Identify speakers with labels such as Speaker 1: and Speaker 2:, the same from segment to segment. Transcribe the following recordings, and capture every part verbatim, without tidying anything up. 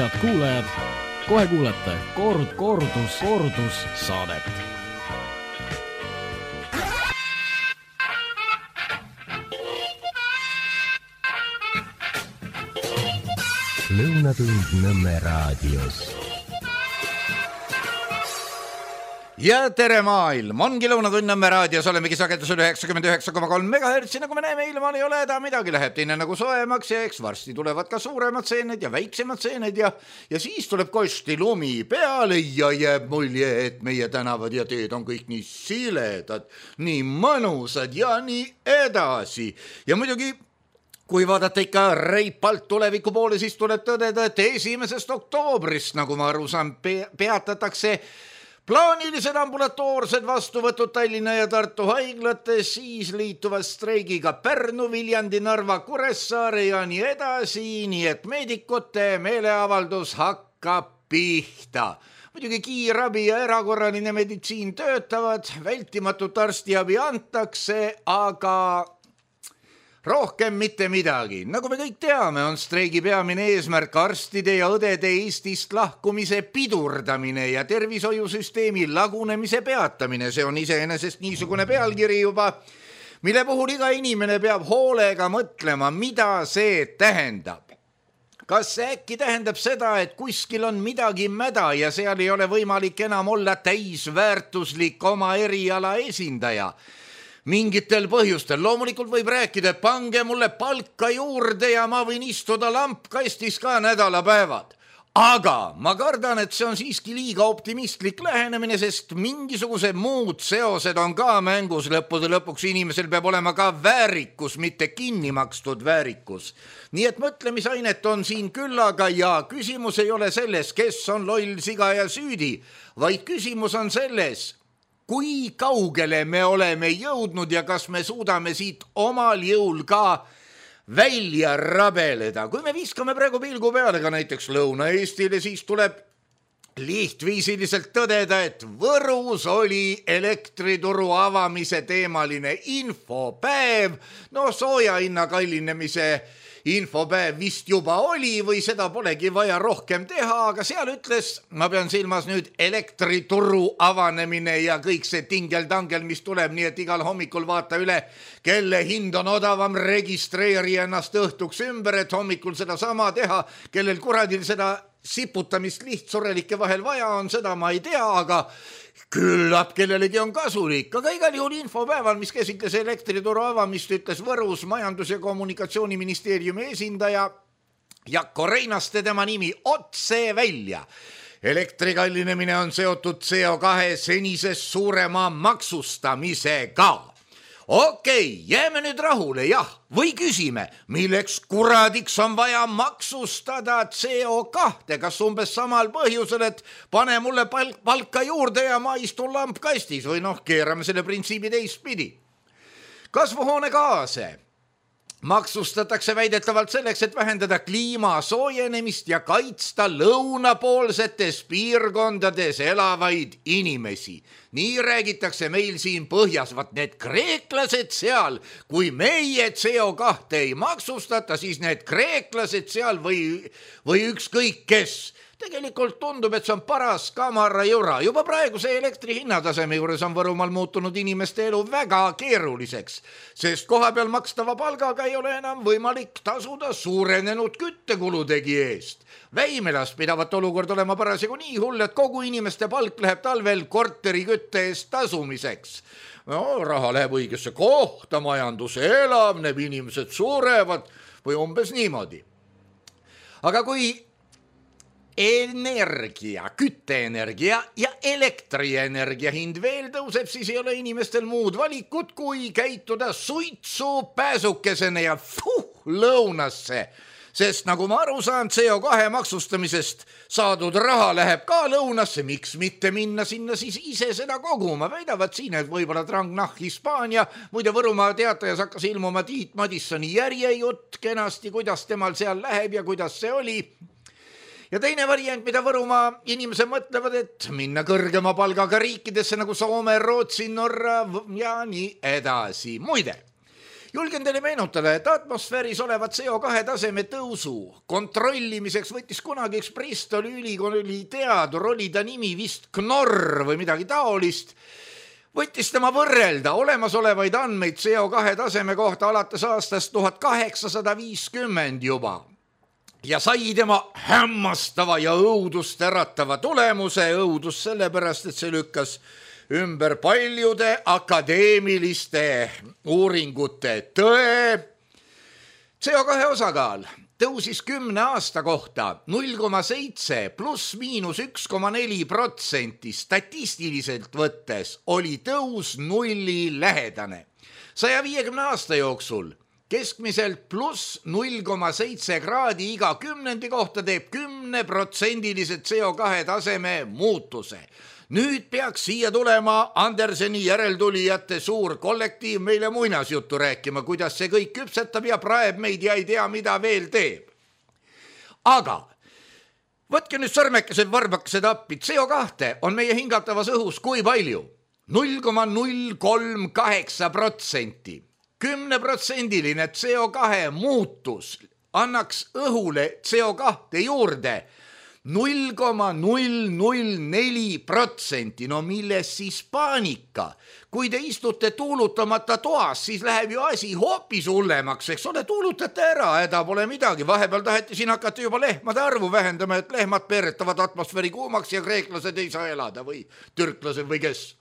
Speaker 1: Head kuulajad, kohe kuulete kord, kordus, kordus saadet.
Speaker 2: Lõunatund Nõmme raadios.
Speaker 3: Ja tere maailm, ongi Lõunatund Nõmme raadios, olemegi sagedusel üheksakümmend üheksa koma kolm megahertsi, nagu me näeme, ilmal ei ole häda midagi, läheb teine nagu soemaks ja eks varsti tulevad ka suuremad seened ja väiksemad seened ja, ja siis tuleb kosti lumi peale ja jääb mulje, et meie tänavad ja teed on kõik nii siledad, nii mõnusad ja nii edasi. Ja muidugi kui vaadata ikka reipalt tuleviku poole, siis tuleb tõdeda, et esimesest oktoobrist, nagu ma aru saan, pe- peatatakse plaanilised ambulatoorsed vastuvõtud Tallinna ja Tartu haiglates, siis liituvad streigiga Pärnu, Viljandi, Narva, Kuressaare ja nii edasi, nii et meedikute meeleavaldus hakkab pihta. Muidugi kiirabi ja erakorraline meditsiin töötavad, vältimatut arstiabi antakse, aga rohkem mitte midagi. Nagu me kõik teame, on streigi peamine eesmärk arstide ja õdede Eestist lahkumise pidurdamine ja tervishoiusüsteemi lagunemise peatamine. See on iseenesest niisugune pealkiri juba, mille puhul iga inimene peab hoolega mõtlema, mida see tähendab. Kas see äkki tähendab seda, et kuskil on midagi mäda ja seal ei ole võimalik enam olla täisväärtuslik oma eriala esindaja? Mingitel põhjustel. Loomulikult võib rääkida, et pange mulle palka juurde ja ma võin istuda lampkastis ka nädalapäevad. Aga ma kardan, et see on siiski liiga optimistlik lähenemine, sest mingisugused muud seosed on ka mängus. Lõppude lõpuks inimesel peab olema ka väärikus, mitte kinni makstud väärikus. Nii et mõtlemisainet on siin küllaga ja küsimus ei ole selles, kes on loll, siga ja süüdi, vaid küsimus on selles, kui kaugele me oleme jõudnud ja kas me suudame siit omal jõul ka välja rabeleda. Kui me viskame praegu pilgu peale ka näiteks Lõuna-Eestile, siis tuleb lihtviisiliselt tõdeda, et Võrus oli elektrituru avamise teemaline infopäev. No sooja hinna kallinemise infopäev vist juba oli või seda polegi vaja rohkem teha, aga seal ütles, ma pean silmas nüüd elektrituru avanemine ja kõik see tingel-tangel, mis tuleb, nii et igal hommikul vaata üle, kelle hind on odavam, registreeri ennast õhtuks ümber, et hommikul seda sama teha, kellel kuradil seda siputamist lihtsurelike vahel vaja on, seda ma ei tea, aga küllap kellelegi on kasulik, aga igal juhul infopäeval, mis käsitles elektrituru avamist, ütles Võrus majandus- ja kommunikatsiooniministeeriumi esindaja Jakko Reinaste, tema nimi otse välja. Elektri kallinemine on seotud C O kahe senisest suurema maksustamisega. Okei, jääme nüüd rahule, jah, või küsime, milleks kuradiks on vaja maksustada C O kahte, kas umbes samal põhjusel, et pane mulle pal- palka juurde ja ma istun lampkastis või noh, keerame selle printsiibi teistpidi. Kasvuhoonegaase maksustatakse väidetavalt selleks, et vähendada kliima soojenemist ja kaitsta lõunapoolsetes piirkondades elavaid inimesi. Nii räägitakse meil siin põhjas, vat need kreeklased seal, kui meie C O kahte ei maksustata, siis need kreeklased seal või, või ükskõik kes. Tegelikult tundub, et see on paras kamara jura. Juba praeguse elektri hinnataseme juures on Võrumaal muutunud inimeste elu väga keeruliseks, sest koha peal makstava palgaga ei ole enam võimalik tasuda suurenenud küttekuludegi eest. Väimelas pidavat olukord olema parasjagu nii hull, et kogu inimeste palk läheb talvel korteri kütte eest tasumiseks. No, raha läheb õigesse kohta, majandus elavneb, inimesed surevad või umbes niimoodi. Aga kui energia, kütteenergia ja elektrienergia hind veel tõuseb, siis ei ole inimestel muud valikut, kui käituda suitsu pääsukesena ja fuh, lõunasse. Sest nagu ma aru saan, C O kahe maksustamisest saadud raha läheb ka lõunasse, miks mitte minna sinna siis ise seda koguma. Väidavad siin, et võib-olla Trangnah Hispaania, muide Võrumaa teatajas hakkas ilmuma Tiit Madissoni järjejutt kenasti, kuidas temal seal läheb ja kuidas see oli. Ja teine variant, mida Võrumaa inimesed mõtlevad, et minna kõrgema palgaga riikidesse nagu Soome, Rootsi, Norra ja nii edasi. Muide, Julgen teile meenutada, et atmosfääris olevat C O kahe taseme tõusu kontrollimiseks võttis kunagi üks Bristoli ülikooli teadur, oli ta nimi vist Knorr või midagi taolist, võttis tema võrrelda olemasolevaid andmeid C O kahe taseme kohta alates aastast tuhat kaheksasada viiskümmend juba. Ja sai tema hämmastava ja õudust äratava tulemuse, õudus sellepärast, et see lükkas ümber paljude akadeemiliste uuringute tõe. C O kahe osakaal tõusis kümne aasta kohta null koma seitse pluss miinus üks koma neli protsenti, statistiliselt võttes oli tõus nulli lähedane. saja viiekümne aasta jooksul keskmiselt pluss null koma seitse kraadi iga kümnendi kohta teeb kümne protsendilise C O kahe taseme muutuse. Nüüd peaks siia tulema Anderseni järeltulijate suur kollektiiv meile muinasjuttu rääkima, kuidas see kõik küpsetab ja praeb meid ja ei tea, mida veel teeb. Aga võtke nüüd sõrmekesed varbakesed appi, C O kahe on meie hingatavas õhus kui palju? null koma null kolm kaheksa protsenti. kümneprotsendiline C O kahe muutus annaks õhule C O kahe juurde null koma null null neli protsenti. No milles siis paanika? Kui te istute tuulutamata toas, siis läheb ju asi hoopis hullemaks, eks ole, tuulutate ära, häda pole midagi. Vahepeal taheti siin hakata juba lehmade arvu vähendama, et lehmad peeretavad atmosfääri kuumaks ja kreeklased ei saa elada või türklased või kes.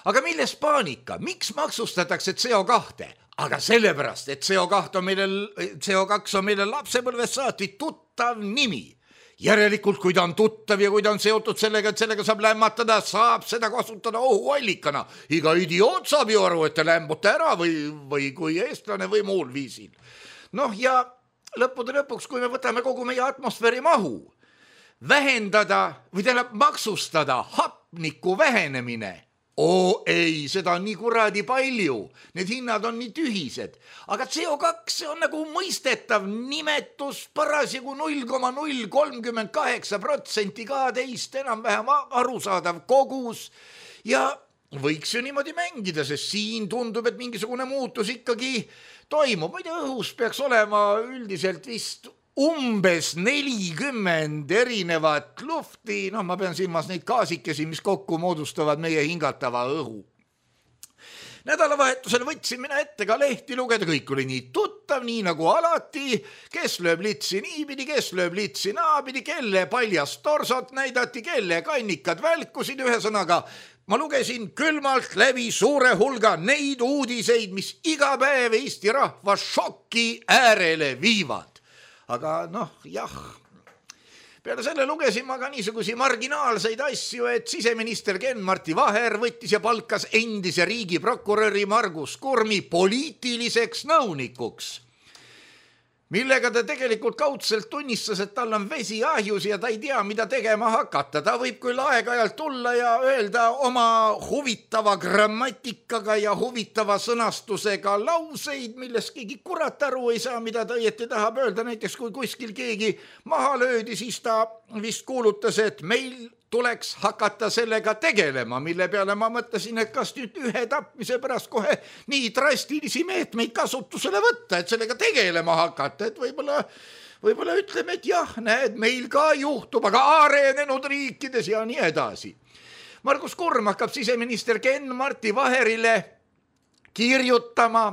Speaker 3: Aga milles paanika? Miks maksustatakse C O kahe? Aga sellepärast, et C O kahe on meile, C O kaks on meile lapsepõlvest saati tuttav nimi. Järelikult, kui ta on tuttav ja kui ta on seotud sellega, et sellega saab lämmatada, saab seda kasutada ohuallikana. Iga idioot saab ju aru, et te lämbute ära või, või kui eestlane või muul viisil. Noh ja lõppude lõpuks, kui me võtame kogu meie atmosfääri mahu, vähendada või tähendab maksustada hapniku vähenemine, oo ei, seda on nii kuradi palju, need hinnad on nii tühised, aga C O kaks on nagu mõistetav nimetus, parasjagu null koma null kolmkümmend kaheksa protsenti kaheteist enam-vähem arusaadav kogus ja võiks ju niimoodi mängida, sest siin tundub, et mingisugune muutus ikkagi toimub. Ma ei tea, õhus peaks olema üldiselt vist umbes nelikümmend erinevat lufti, noh ma pean silmas neid gaasikesi, mis kokku moodustavad meie hingatava õhu. Nädalavahetusel võtsin mina ette ka lehti lugeda, kõik oli nii tuttav, nii nagu alati, kes lööb litsi niipidi, kes lööb litsi naapidi, kelle paljast torsot näidati, kelle kannikad välkusid, ühesõnaga ma lugesin külmalt läbi suure hulga neid uudiseid, mis iga päev Eesti rahva šoki äärele viivad. Aga noh, jah, peale selle lugesin ma ka niisugusi marginaalseid asju, et siseminister Ken-Marti Vaher võttis ja palkas endise riigiprokuröri Margus Kurmi poliitiliseks nõunikuks, millega ta tegelikult kaudselt tunnistas, et tal on vesi ahjus ja ta ei tea, mida tegema hakata. Ta võib küll aeg-ajalt tulla ja öelda oma huvitava grammatikaga ja huvitava sõnastusega lauseid, milles keegi kurat aru ei saa, mida ta õieti tahab öelda. Näiteks kui kuskil keegi maha löödi, siis ta vist kuulutas, et meil tuleks hakata sellega tegelema, mille peale ma mõtlesin, et kas nüüd ühe tapmise pärast kohe nii drastilisi meetmeid kasutusele võtta, et sellega tegelema hakata, et võib-olla, võib-olla ütleme, et jah, näed, meil ka juhtub, aga arenenud riikides ja nii edasi. Margus Kurm hakkab siseminister Ken-Marti Vaherile kirjutama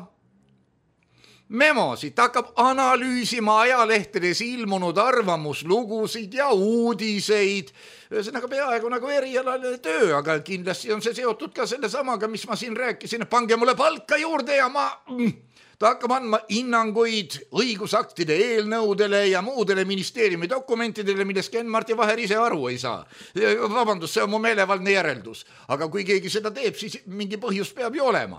Speaker 3: memosid, ta hakkab analüüsima ajalehtedes ilmunud arvamuslugusid ja uudiseid, ühesõnaga peaaegu nagu erialaline töö, aga kindlasti on see seotud ka selle samaga, mis ma siin rääkisin, et pange mulle palka juurde ja ma, ta hakkab andma hinnanguid õigusaktide eelnõudele ja muudele ministeeriumi dokumentidele, millest Ken-Marti Vaher ise aru ei saa. Vabandust, see on mu meelevaldne järeldus, aga kui keegi seda teeb, siis mingi põhjus peab ju olema.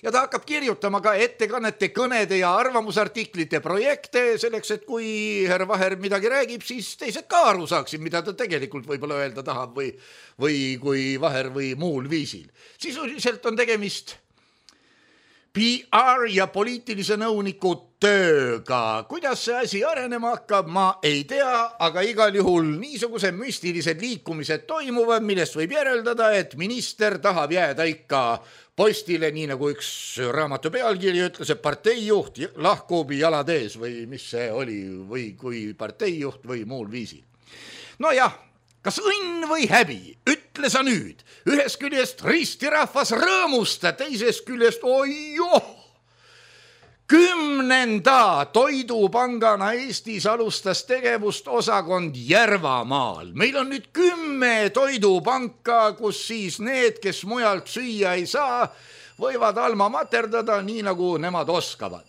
Speaker 3: Ja ta hakkab kirjutama ka ettekannete, kõnede ja arvamusartiklite projekte selleks, et kui härra Vaher midagi räägib, siis teised ka aru saaksid, mida ta tegelikult võib-olla öelda tahab või, või kui Vaher või muul viisil. Sisuliselt on tegemist P R ja poliitilise nõuniku tööga. Kuidas see asi arenema hakkab, ma ei tea, aga igal juhul niisuguse müstilised liikumised toimuvad, millest võib järeldada, et minister tahab jääda ikka postile, nii nagu üks raamatu pealkiri ütles, et parteijuht lahkub jalad ees või mis see oli, või kui parteijuht või muul viisil. No jah, kas õnn või häbi, ütle sa nüüd, ühest küljest ristirahvas rõõmusta, teisest küljest oijoh, kümnenda toidupangana Eestis alustas tegevust osakond Järvamaal. Meil on nüüd kümme toidupanka, kus siis need, kes mujalt süüa ei saa, võivad alma materdada nii, nagu nemad oskavad.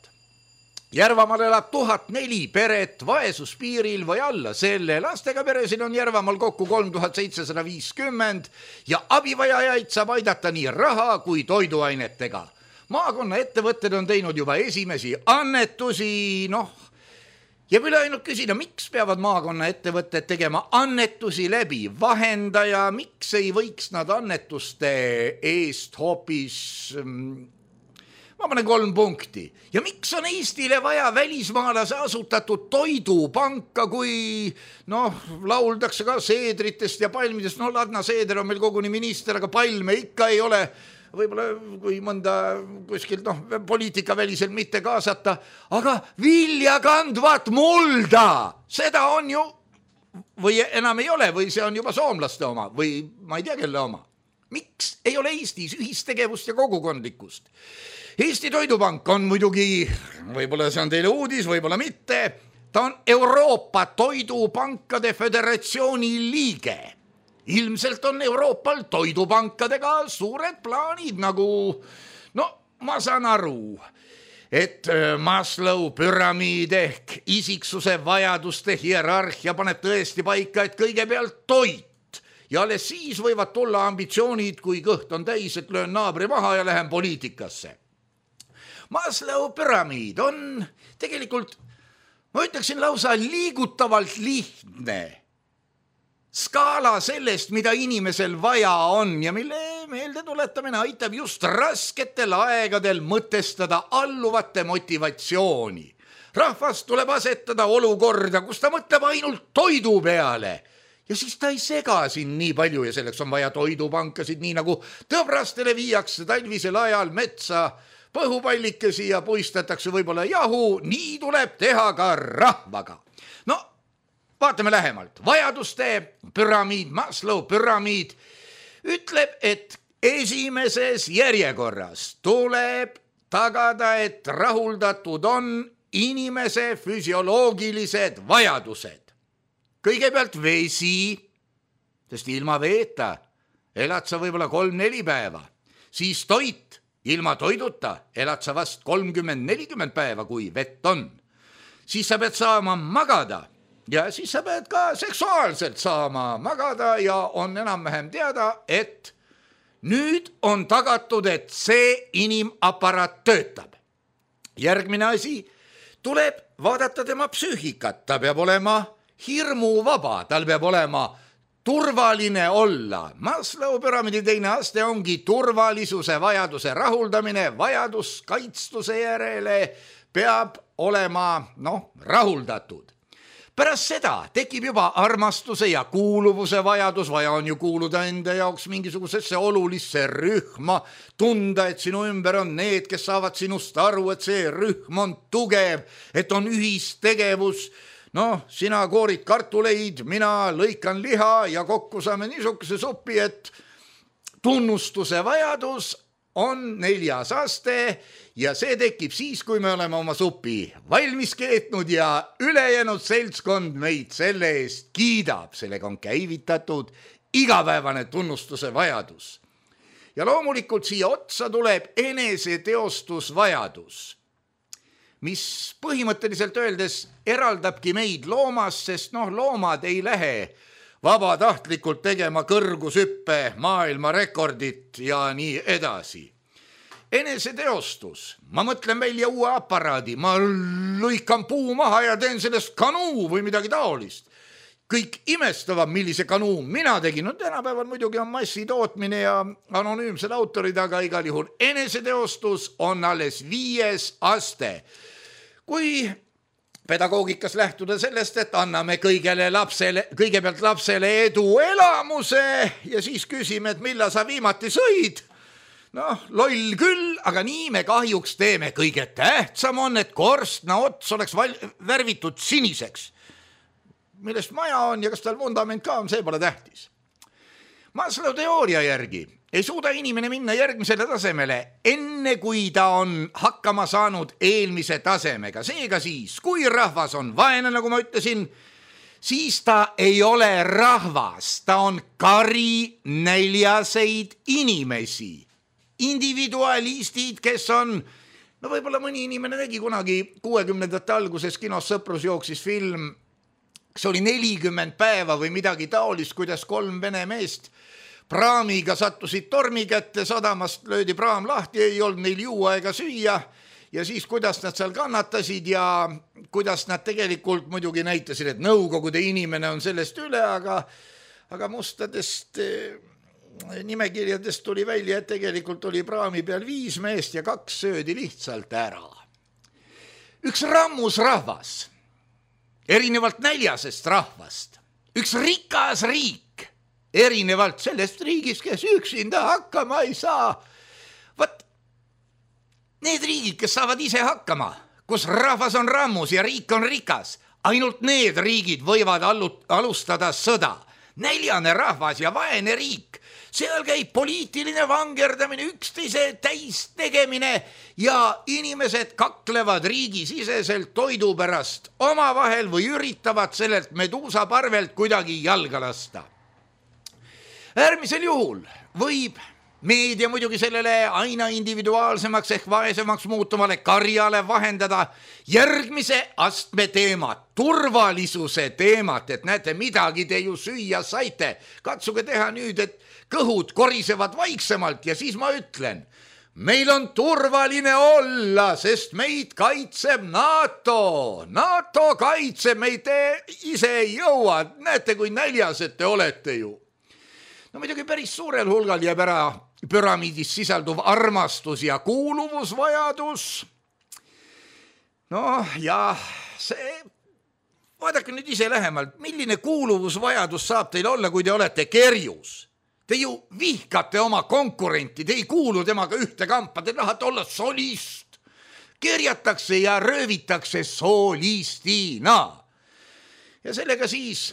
Speaker 3: Järvamaal elab tuhat neli peret vaesuspiiril või alla selle. Lastega peresid on Järvamaal kokku kolm tuhat seitsesada viiskümmend ja abivajajaid saab aidata nii raha kui toiduainetega. Maakonna ettevõtted on teinud juba esimesi annetusi, noh, jääb üle ainult küsida, miks peavad maakonna ettevõtted tegema annetusi läbi vahendaja, miks ei võiks nad annetuste eest hoopis... Ma panen kolm punkti. Ja miks on Eestile vaja välismaalase asutatud toidupanka, kui noh, lauldakse ka seedritest ja palmidest. No Ladna Seeder on meil koguni minister, aga palme ikka ei ole. Võib-olla kui mõnda kuskilt noh, poliitika väliselt mitte kaasata. Aga vilja kandvat mulda, seda on ju, või enam ei ole, või see on juba soomlaste oma, või ma ei tea kelle oma. Miks ei ole Eestis ühistegevust ja kogukondlikkust? Eesti Toidupank on muidugi, võib-olla see on teile uudis, võib-olla mitte, ta on Euroopa Toidupankade Föderatsiooni liige. Ilmselt on Euroopal toidupankadega suured plaanid, nagu, no ma saan aru, et Maslow püramiid ehk isiksuse vajaduste hierarhia paneb tõesti paika, et kõigepealt toit ja alles siis võivad tulla ambitsioonid, kui kõht on täis, et löön naabri maha ja lähen poliitikasse. Maslow püramiid on tegelikult, ma ütleksin lausa liigutavalt lihtne skaala sellest, mida inimesel vaja on ja mille meelde tuletamine aitab just rasketel aegadel mõtestada alluvate motivatsiooni. Rahvas tuleb asetada olukorda, kus ta mõtleb ainult toidu peale ja siis ta ei sega siin nii palju ja selleks on vaja toidupankasid, nii nagu tõbrastele viiakse talvisel ajal metsa põhupallikesi ja puistatakse võib-olla jahu, nii tuleb teha ka rahvaga. No, vaatame lähemalt. Vajaduste püramiid, Maslow püramiid ütleb, et esimeses järjekorras tuleb tagada, et rahuldatud on inimese füsioloogilised vajadused. Kõigepealt vesi, sest ilma veeta elad sa võib-olla kolm-neli päeva, siis toit, ilma toiduta elad sa vast kolmkümmend nelikümmend päeva, kui vett on. Siis sa pead saama magada ja siis sa pead ka seksuaalselt saama magada ja on enam-vähem teada, et nüüd on tagatud, et see inimaparaat töötab. Järgmine asi, tuleb vaadata tema psüühikat, ta peab olema hirmuvaba, tal peab olema turvaline olla. Maslow püramiidi teine aste ongi turvalisuse vajaduse rahuldamine, vajadus kaitstuse järele peab olema noh, rahuldatud. Pärast seda tekib juba armastuse ja kuuluvuse vajadus, vaja on ju kuuluda enda jaoks mingisugusesse olulisse rühma, tunda, et sinu ümber on need, kes saavad sinust aru, et see rühm on tugev, et on ühistegevus. Noh, sina koorid kartuleid, mina lõikan liha ja kokku saame niisuguse suppi, et tunnustuse vajadus on neljas aste ja see tekib siis, kui me oleme oma supi valmis keetnud ja ülejäänud seltskond meid selle eest kiidab. Sellega on käivitatud igapäevane tunnustuse vajadus. Ja loomulikult siia otsa tuleb eneseteostusvajadus, mis põhimõtteliselt öeldes eraldabki meid loomast, sest noh, loomad ei lähe vabatahtlikult tegema kõrgushüppe maailma rekordit ja nii edasi. Eneseteostus, ma mõtlen välja uue aparaadi, ma lõikan puu maha ja teen sellest kanuu või midagi taolist. kõik imestavad, millise kanuun mina tegin. No tänapäeval muidugi on massitootmine ja anonüümsed autorid, aga igal juhul eneseteostus on alles viies aste. Kui pedagoogikas lähtuda sellest, et anname kõigele lapsele, kõigepealt lapsele edu elamuse ja siis küsime, et millal sa viimati sõid. Noh, loll küll, aga nii me kahjuks teeme. Kõige tähtsam on, et korstna ots oleks val- värvitud siniseks. Millest maja on ja kas tal vundament ka on, see pole tähtis. Maslow teooria järgi ei suuda inimene minna järgmisele tasemele, enne kui ta on hakkama saanud eelmise tasemega. Seega siis, kui rahvas on vaene, nagu ma ütlesin, siis ta ei ole rahvas, ta on kari näljaseid inimesi. Individualistid, kes on, no võib-olla mõni inimene nägi kunagi kuuekümnendate alguses kinos Sõprus jooksis film, see oli nelikümmend päeva või midagi taolist, kuidas kolm vene meest praamiga sattusid tormi kätte, sadamast löödi praam lahti, ei olnud neil juua ega süüa ja siis kuidas nad seal kannatasid ja kuidas nad tegelikult muidugi näitasid, et nõukogude inimene on sellest üle, aga, aga mustadest nimekirjadest tuli välja, et tegelikult oli praami peal viis meest ja kaks söödi lihtsalt ära. Üks rammus rahvas, erinevalt näljasest rahvast, üks rikas riik, erinevalt sellest riigist, kes üksinda hakkama ei saa. Võt, need riigid, kes saavad ise hakkama, kus rahvas on rammus ja riik on rikas, ainult need riigid võivad alustada sõda. Näljane rahvas ja vaene riik, seal käib poliitiline vangerdamine, üksteise täis tegemine ja inimesed kaklevad riigisiseselt toidu pärast omavahel või üritavad sellelt meduusa parvelt kuidagi jalga lasta. Äärmisel juhul võib meedia muidugi sellele aina individuaalsemaks ehk vaesemaks muutuvale karjale vahendada järgmise astme teemat, turvalisuse teemat, et näete, midagi te ju süüa saite. Katsuge teha nüüd, et kõhud korisevad vaiksemalt ja siis ma ütlen, meil on turvaline olla, sest meid kaitseb NATO. NATO kaitseb meid, te ise ei jõua. Näete, kui näljased te olete ju. No muidugi päris suurel hulgal jääb ära püramiidis sisalduv armastus ja kuuluvusvajadus. No ja see, vaadake nüüd ise lähemalt, milline kuuluvusvajadus saab teil olla, kui te olete kerjus. Te ju vihkate oma konkurenti, te ei kuulu temaga ühte kampa, te tahate olla solist. Kerjatakse ja röövitakse solistina. Ja sellega siis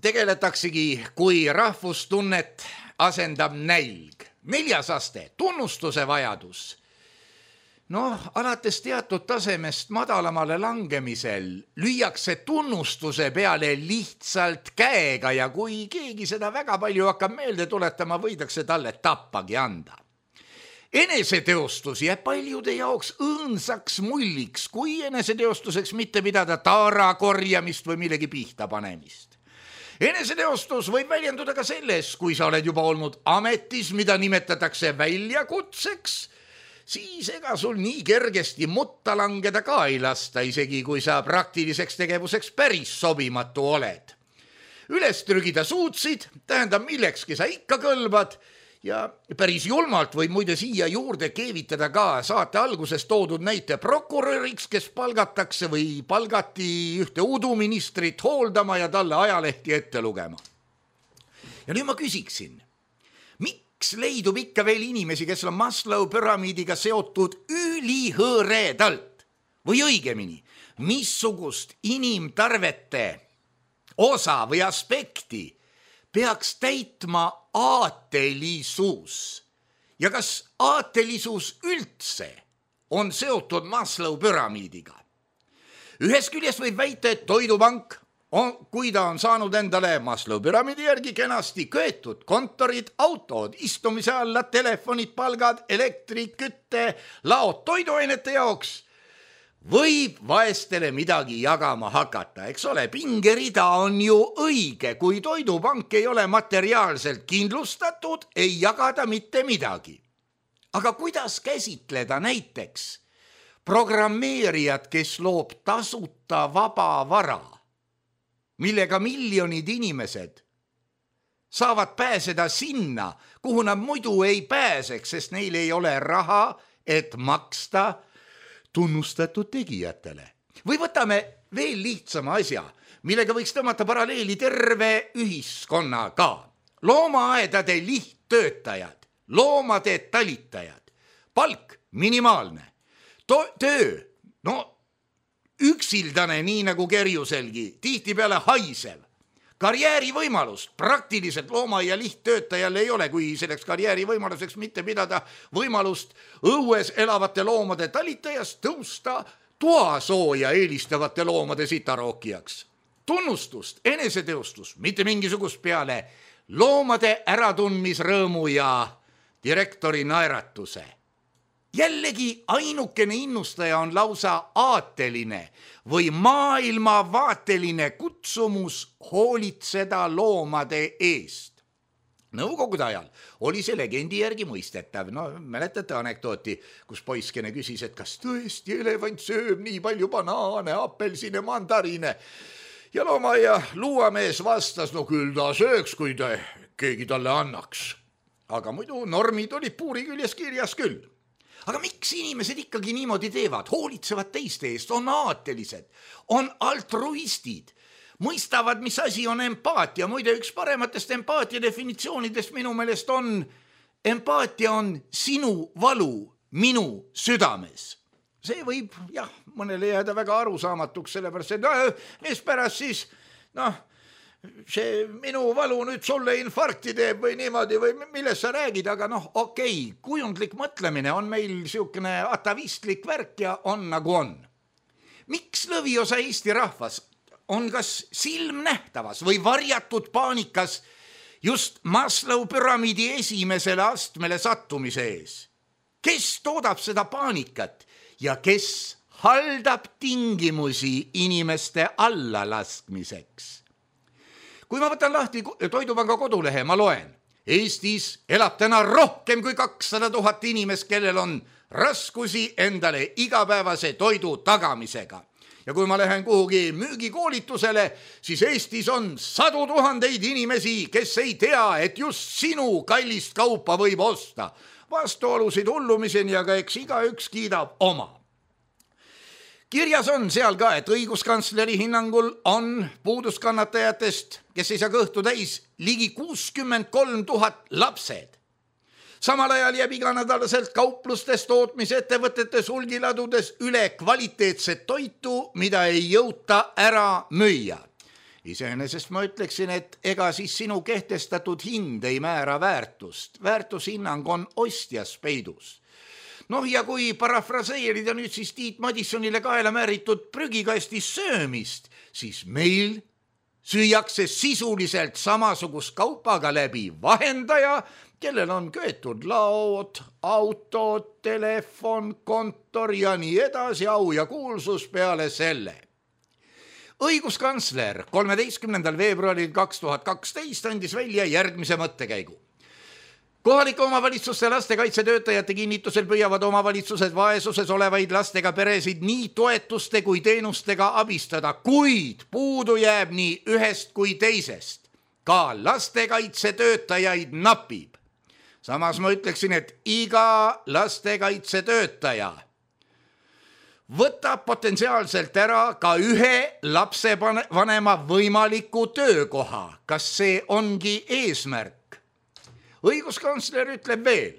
Speaker 3: tegeletaksegi, kui rahvustunnet asendab nälg. Neljas aste, tunnustuse vajadus. Noh, alates teatud tasemest madalamale langemisel lüüakse tunnustuse peale lihtsalt käega ja kui keegi seda väga palju hakkab meelde tuletama, võidakse talle tappagi anda. Eneseteostus jääb paljude jaoks õõnsaks mulliks, kui eneseteostuseks mitte pidada taara korjamist või millegi pihta panemist. Eneseteostus võib väljenduda ka selles, kui sa oled juba olnud ametis, mida nimetatakse väljakutseks, siis ega sul nii kergesti mutta langeda ka ei lasta, isegi kui sa praktiliseks tegevuseks päris sobimatu oled. Üles trügida suutsid, tähendab millekski sa ikka kõlbad ja päris julmalt võib muide siia juurde keevitada ka saate alguses toodud näite prokuröriks, kes palgatakse või palgati ühte uduministrit hooldama ja talle ajalehti ette lugema. Ja nüüd ma küsiksin, miks leidub ikka veel inimesi, kes on Maslow püramiidiga seotud ülihõredalt või õigemini, missugust inimtarvete osa või aspekti peaks täitma aatelisus ja kas aatelisus üldse on seotud Maslow püramiidiga. Ühest küljest võib väita, et toidupank, on, kui ta on saanud endale Maslow püramiidi järgi kenasti köetud kontorid, autod, istumise alla, telefonid, palgad, elektri, kütte, laod toiduainete jaoks, võib vaestele midagi jagama hakata, eks ole, pingerida on ju õige, kui toidupank ei ole materiaalselt kindlustatud, ei jagada mitte midagi. Aga kuidas käsitleda näiteks programmeerijad, kes loob tasuta vaba vara? millega miljonid inimesed saavad pääseda sinna, kuhu nad muidu ei pääseks, sest neil ei ole raha, et maksta tunnustatud tegijatele. Või võtame veel lihtsama asja, millega võiks tõmmata paralleeli terve ühiskonnaga. Loomaaedade lihttöötajad, loomade talitajad, palk minimaalne, to- töö, no üksildane, nii nagu Kerjuselgi, tihtipeale haisev. Karjäärivõimalust praktiliselt looma- ja lihttöötajal ei ole, kui selleks karjäärivõimaluseks mitte pidada võimalust õues elavate loomade talitajast tõusta toasooja eelistavate loomade sitarookijaks. Tunnustust, eneseteostust, mitte mingisugust peale loomade äratundmisrõõmu ja direktori naeratuse. Jällegi ainukene innustaja on lausa aateline või maailmavaateline kutsumus hoolitseda loomade eest. Nõukogude ajal oli see legendi järgi mõistetav. No, mäletate anekdooti, kus poiskene küsis, et kas tõesti elevant sööb nii palju banaane, apelsine, mandariine. Ja looma ja luuamees vastas, no küll ta sööks, kui ta keegi talle annaks. Aga muidu normid olid puuri küljes kirjas küll. Aga miks inimesed ikkagi niimoodi teevad? Hoolitsevad teiste eest, on aatelised, on altruistid, mõistavad, mis asi on empaatia. Muide, üks parematest empaatia definitsioonidest minu meelest on, empaatia on sinu valu minu südames. See võib, jah, mõnele jääda väga arusaamatuks, sellepärast, et no, mis pärast siis, noh, see minu valu nüüd sulle infarkti teeb või niimoodi või millest sa räägid, aga noh, okei, kujundlik mõtlemine on meil siukene atavistlik värk ja on nagu on. Miks lõviosa Eesti rahvas on kas silmnähtavas või varjatud paanikas just Maslow püramiidi esimesele astmele sattumise ees? Kes toodab seda paanikat ja kes haldab tingimusi inimeste allalaskmiseks? Kui ma võtan lahti Toidupanga kodulehe, ma loen. Eestis elab täna rohkem kui kakssada tuhat inimest, kellel on raskusi endale igapäevase toidu tagamisega. Ja kui ma lähen kuhugi müügikoolitusele, siis Eestis on sadu tuhandeid inimesi, kes ei tea, et just sinu kallist kaupa võib osta. Vastuolusid hullumiseni, aga eks igaüks kiidab oma. Kirjas on seal ka, et õiguskantsleri hinnangul on puuduskannatajatest, kes ei saa kõhtu täis, ligi kuuskümmend kolm tuhat lapsed. Samal ajal jääb iganädalaselt kauplustes, tootmisettevõtetes, hulgiladudes üle kvaliteetset toitu, mida ei jõuta ära müüa. Iseenesest ma ütleksin, et ega siis sinu kehtestatud hind ei määra väärtust. Väärtushinnang on ostjas peidus. Noh, ja kui parafraseerida nüüd siis Tiit Madissonile kaela määritud prügikasti söömist, siis meil süüakse sisuliselt samasugust kaupaga läbi vahendaja, kellel on köetud laod, autod, telefon, kontor ja nii edasi, au ja kuulsus peale selle. Õiguskantsler kolmeteistkümnendal veebruaril kaks tuhat kaksteist andis välja järgmise mõttekäigu. Kohalike omavalitsuste lastekaitsetöötajate kinnitusel püüavad omavalitsused vaesuses olevaid lastega peresid nii toetuste kui teenustega abistada, kuid puudu jääb nii ühest kui teisest. Ka lastekaitsetöötajaid napib. Samas ma ütleksin, et iga lastekaitsetöötaja võtab potentsiaalselt ära ka ühe lapsevanema võimaliku töökoha. Kas see ongi eesmärk? Õiguskantsler ütleb veel,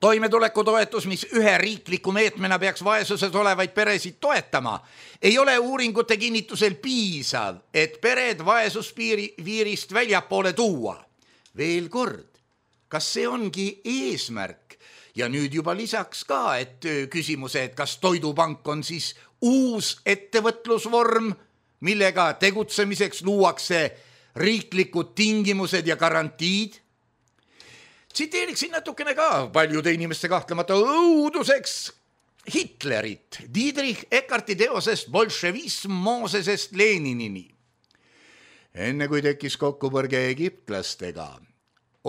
Speaker 3: toimetulekutoetus, mis ühe riikliku meetmena peaks vaesuses olevaid peresid toetama, ei ole uuringute kinnitusel piisav, et pered vaesuspiirist väljapoole tuua. Veel kord, kas see ongi eesmärk? Ja nüüd juba lisaks ka, et küsimuse, et kas Toidupank on siis uus ettevõtlusvorm, millega tegutsemiseks luuakse riiklikud tingimused ja garantiid. Tsiteeriksin natukene ka paljude inimeste kahtlemata õuduseks Hitlerit, Diedrich Eckarti teosest Bolševism Moosesest Leninini. Enne kui tekkis kokkupõrge egiptlastega,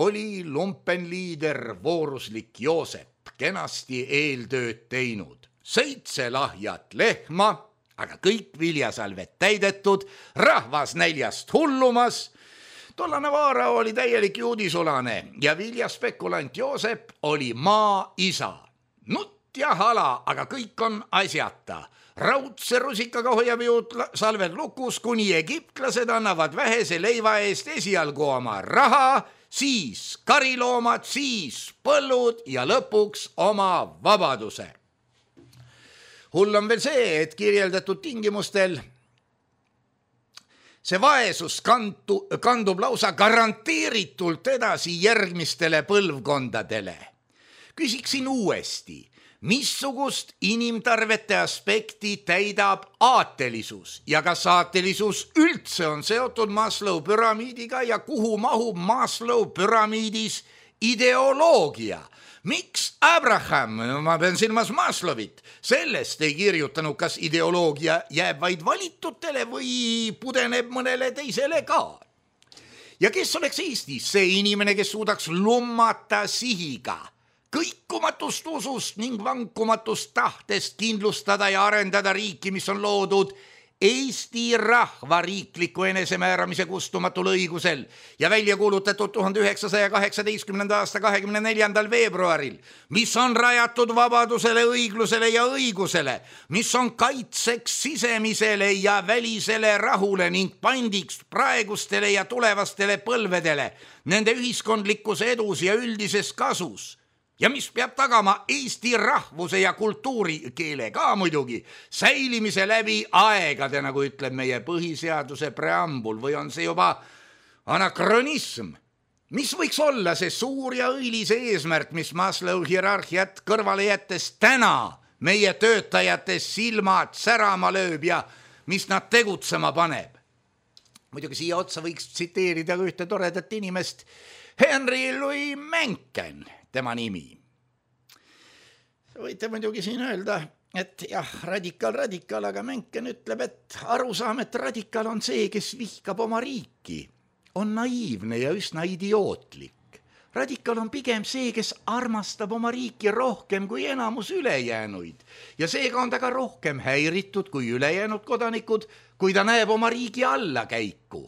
Speaker 3: oli lumpenliider vooruslik Joosep kenasti eeltööd teinud. Seitse lahjat lehma, aga kõik viljasalved täidetud, rahvas näljast hullumas. Tollane Vaara oli täielik juudisulane ja viljaspekulant Joosep oli maa isa. Nutt ja hala, aga kõik on asjata. Raudse rusikaga hoiab juut salved lukus, kuni egiptlased annavad vähese leiva eest esialgu oma raha, siis kariloomad, siis põllud ja lõpuks oma vabaduse. Hull on veel see, et kirjeldatud tingimustel see vaesus kandu, kandub lausa garanteeritult edasi järgmistele põlvkondadele. Küsiksin uuesti, missugust inimtarvete aspekti täidab aatelisus ja kas aatelisus üldse on seotud Maslow püramiidiga ja kuhu mahub Maslow püramiidis ideoloogia? Miks Abraham, ma pean silmas Maslowit, sellest ei kirjutanud, kas ideoloogia jääb vaid valitutele või pudeneb mõnele teisele ka? Ja kes oleks Eestis see inimene, kes suudaks lummata sihiga, kõikumatust usust ning vankumatust tahtest kindlustada ja arendada riiki, mis on loodud Eesti rahva riikliku enesemääramise kustumatul õigusel ja välja kuulutatud tuhande üheksasaja kaheksateistkümnenda aasta kahekümne neljandal veebruaril, mis on rajatud vabadusele, õiglusele ja õigusele, mis on kaitseks sisemisele ja välisele rahule ning pandiks praegustele ja tulevastele põlvedele, nende ühiskondlikus edus ja üldises kasus. Ja mis peab tagama Eesti rahvuse ja kultuuri, keele ka muidugi, säilimise läbi aegade, nagu ütleb meie põhiseaduse preambul, või on see juba anakronism? Mis võiks olla see suur ja õilis eesmärk, mis Maslow hierarhiat kõrvale jättes täna meie töötajate silmad särama lööb ja mis nad tegutsema paneb? Muidugi siia otsa võiks tsiteerida ühte toredat inimest, Henry Louis Mencken, tema nimi. Võite muidugi siin öelda, et jah, radikaal, radikaal, aga Mencken ütleb, et arusaam, et radikaal on see, kes vihkab oma riiki, on naiivne ja üsna idiootlik. Radikaal on pigem see, kes armastab oma riiki rohkem kui enamus ülejäänuid ja seega on ta ka rohkem häiritud kui ülejäänud kodanikud, kui ta näeb oma riigi allakäiku.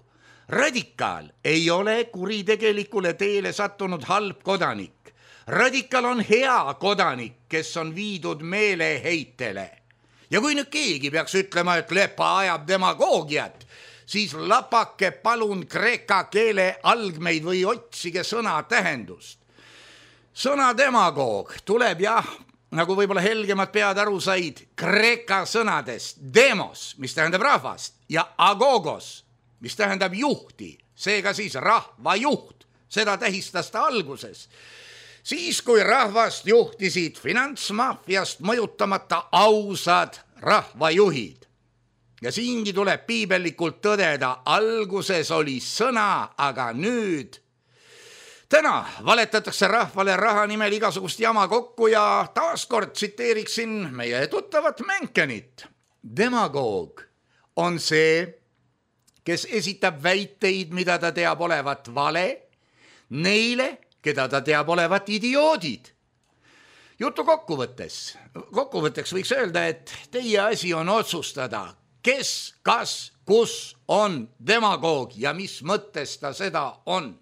Speaker 3: Radikaal ei ole kuritegelikule teele sattunud halb kodanik. Radikaal on hea kodanik, kes on viidud meeleheitele. Ja kui nüüd keegi peaks ütlema, et Lepa ajab demagoogiat, siis lapake palun kreeka keele algmeid või otsige sõna tähendust. Sõna demagoog tuleb jah, nagu võib-olla helgemad pead aru said, kreeka sõnadest demos, mis tähendab rahvast, ja agogos, mis tähendab juhti, seega siis rahvajuht, seda tähistas ta alguses. Siis, kui rahvast juhtisid finantsmafiast mõjutamata ausad rahvajuhid. Ja siingi tuleb piibellikult tõdeda, alguses oli sõna, aga nüüd. Täna valetatakse rahvale raha nimel igasugust jama kokku ja taaskord tsiteeriksin meie tuttavat Menckenit. Demagoog on see, kes esitab väiteid, mida ta teab olevat vale, neile, keda ta teab olevat idioodid. Jutu kokkuvõttes, kokkuvõtteks võiks öelda, et teie asi on otsustada, kes, kas, kus on demagoog ja mis mõttes ta seda on.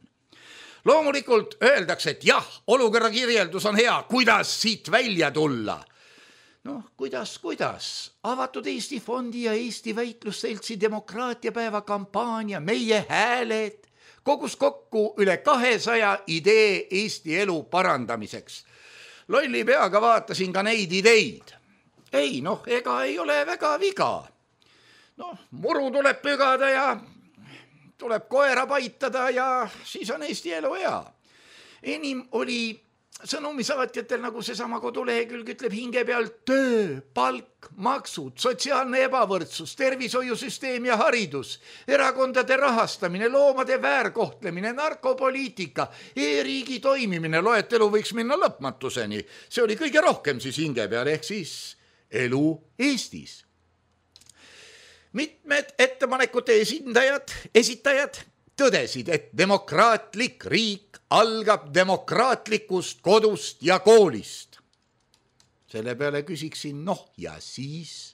Speaker 3: Loomulikult öeldakse, et jah, olukorra kirjeldus on hea, kuidas siit välja tulla. Noh, kuidas, kuidas? Avatud Eesti Fondi ja Eesti Väitlusseltsi demokraatiapäeva kampaania, meie hääled, kogus kokku üle kahesaja idee Eesti elu parandamiseks. Lolli peaga vaatasin ka neid ideid. Ei, noh, ega ei ole väga viga. Noh, muru tuleb pügada ja tuleb koera paitada ja siis on Eesti elu hea. Enim oli sõnumisaatjatel, nagu seesama kodulehekülg ütleb hinge peal, töö, palk, maksud, sotsiaalne ebavõrdsus, tervishoiusüsteem ja haridus, erakondade rahastamine, loomade väärkohtlemine, narkopoliitika, e-riigi toimimine, loetelu võiks minna lõpmatuseni. See oli kõige rohkem siis hinge peal, ehk siis elu Eestis. Mitmed ettepanekute esindajad, esitajad tõdesid, et demokraatlik riik algab demokraatlikust kodust ja koolist. Selle peale küsiksin, noh ja siis,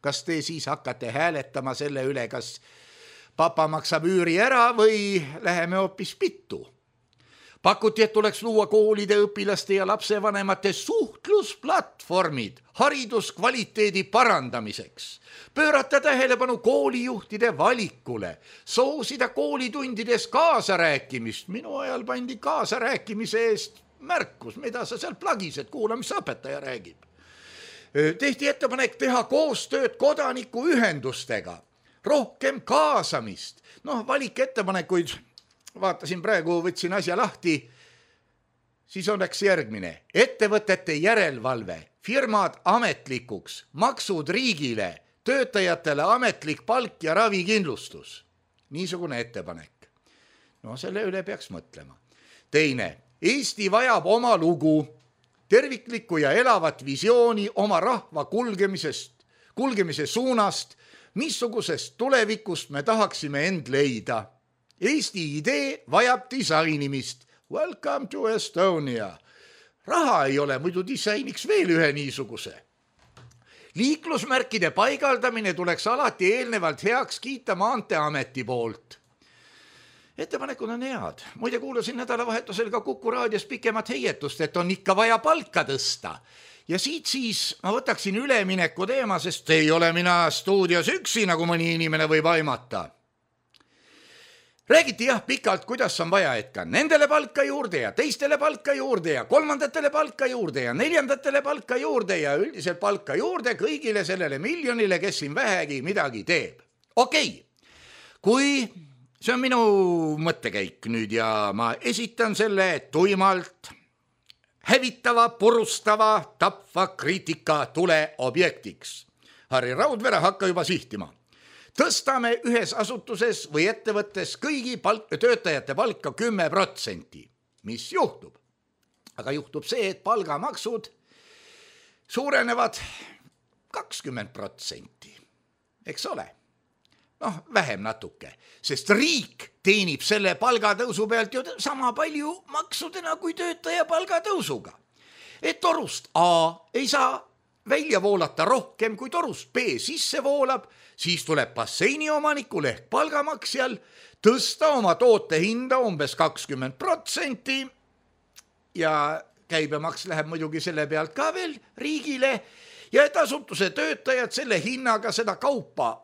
Speaker 3: kas te siis hakkate hääletama selle üle, kas papa maksab üüri ära või läheme hoopis pittu? Pakuti, et tuleks luua koolide, õpilaste ja lapsevanemate suhtlusplatvormid hariduskvaliteedi parandamiseks, pöörata tähelepanu koolijuhtide valikule, soosida koolitundides kaasarääkimist. Minu ajal pandi kaasarääkimise eest märkus, mida sa seal plagised, kuula, mis õpetaja räägib. Tehti ettepanek teha koostööd kodanikuühendustega, rohkem kaasamist. Noh, valik ettepanekuid, vaatasin praegu, võtsin asja lahti, siis oleks järgmine. Ettevõtete järelevalve, firmad ametlikuks, maksud riigile, töötajatele ametlik palk ja ravikindlustus. Niisugune ettepanek. No selle üle peaks mõtlema. Teine, Eesti vajab oma lugu, terviklikku ja elavat visiooni oma rahva kulgemisest, kulgemise suunast, missugusest tulevikust me tahaksime end leida. Eesti idee vajab disainimist. Welcome to Estonia. Raha ei ole, muidu disainiks veel ühe niisuguse. Liiklusmärkide paigaldamine tuleks alati eelnevalt heaks kiita Maanteeameti poolt. Ettepanekud on head. Muide kuulasin nädalavahetusel ka Kuku raadios pikemat heietust, et on ikka vaja palka tõsta. Ja siit siis ma võtaksin ülemineku teema, sest ei ole mina stuudios üksi, nagu mõni inimene võib aimata. Räägiti jah pikalt, kuidas on vaja, et ka nendele palka juurde ja teistele palka juurde ja kolmandatele palka juurde ja neljandatele palka juurde ja üldiselt palka juurde kõigile sellele miljonile, kes siin vähegi midagi teeb. Okei, kui see on minu mõttekäik nüüd ja ma esitan selle tuimalt hävitava, purustava, tapva kriitika tule objektiks. Harri Raudvere hakka juba sihtima. Tõstame ühes asutuses või ettevõttes kõigi palk, töötajate palka kümme protsenti. Mis juhtub? Aga juhtub see, et palgamaksud suurenevad kakskümmend protsenti. Eks ole? Noh, vähem natuke, sest riik teenib selle palgatõusu pealt ju sama palju maksudena kui töötaja palgatõusuga. Et torust A ei saa välja voolata rohkem kui torust B sisse voolab, siis tuleb basseini omanikul ehk palgamaksjal tõsta oma toote hinda umbes kakskümmend protsenti ja käibemaks läheb muidugi selle pealt ka veel riigile ja et asutuse töötajad selle hinnaga seda kaupa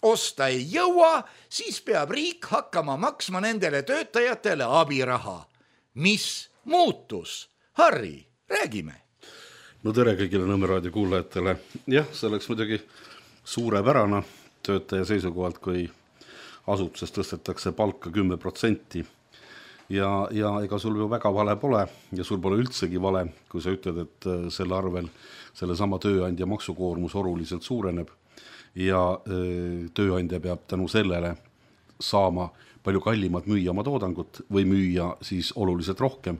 Speaker 3: osta ei jõua, siis peab riik hakkama maksma nendele töötajatele abiraha. Mis muutus? Harri, räägime.
Speaker 4: No tere kõigile Nõmme raadio kuulajatele. Jah, see oleks muidugi suurepärane töötaja seisukohalt, kui asutuses tõstetakse palka kümme protsenti. Ja, ja ega sul ju väga vale pole ja sul pole üldsegi vale, kui sa ütled, et selle arvel selle sama tööandja maksukoormus oluliselt suureneb ja öö, tööandja peab tänu sellele saama palju kallimad müüa oma toodangut või müüa siis oluliselt rohkem.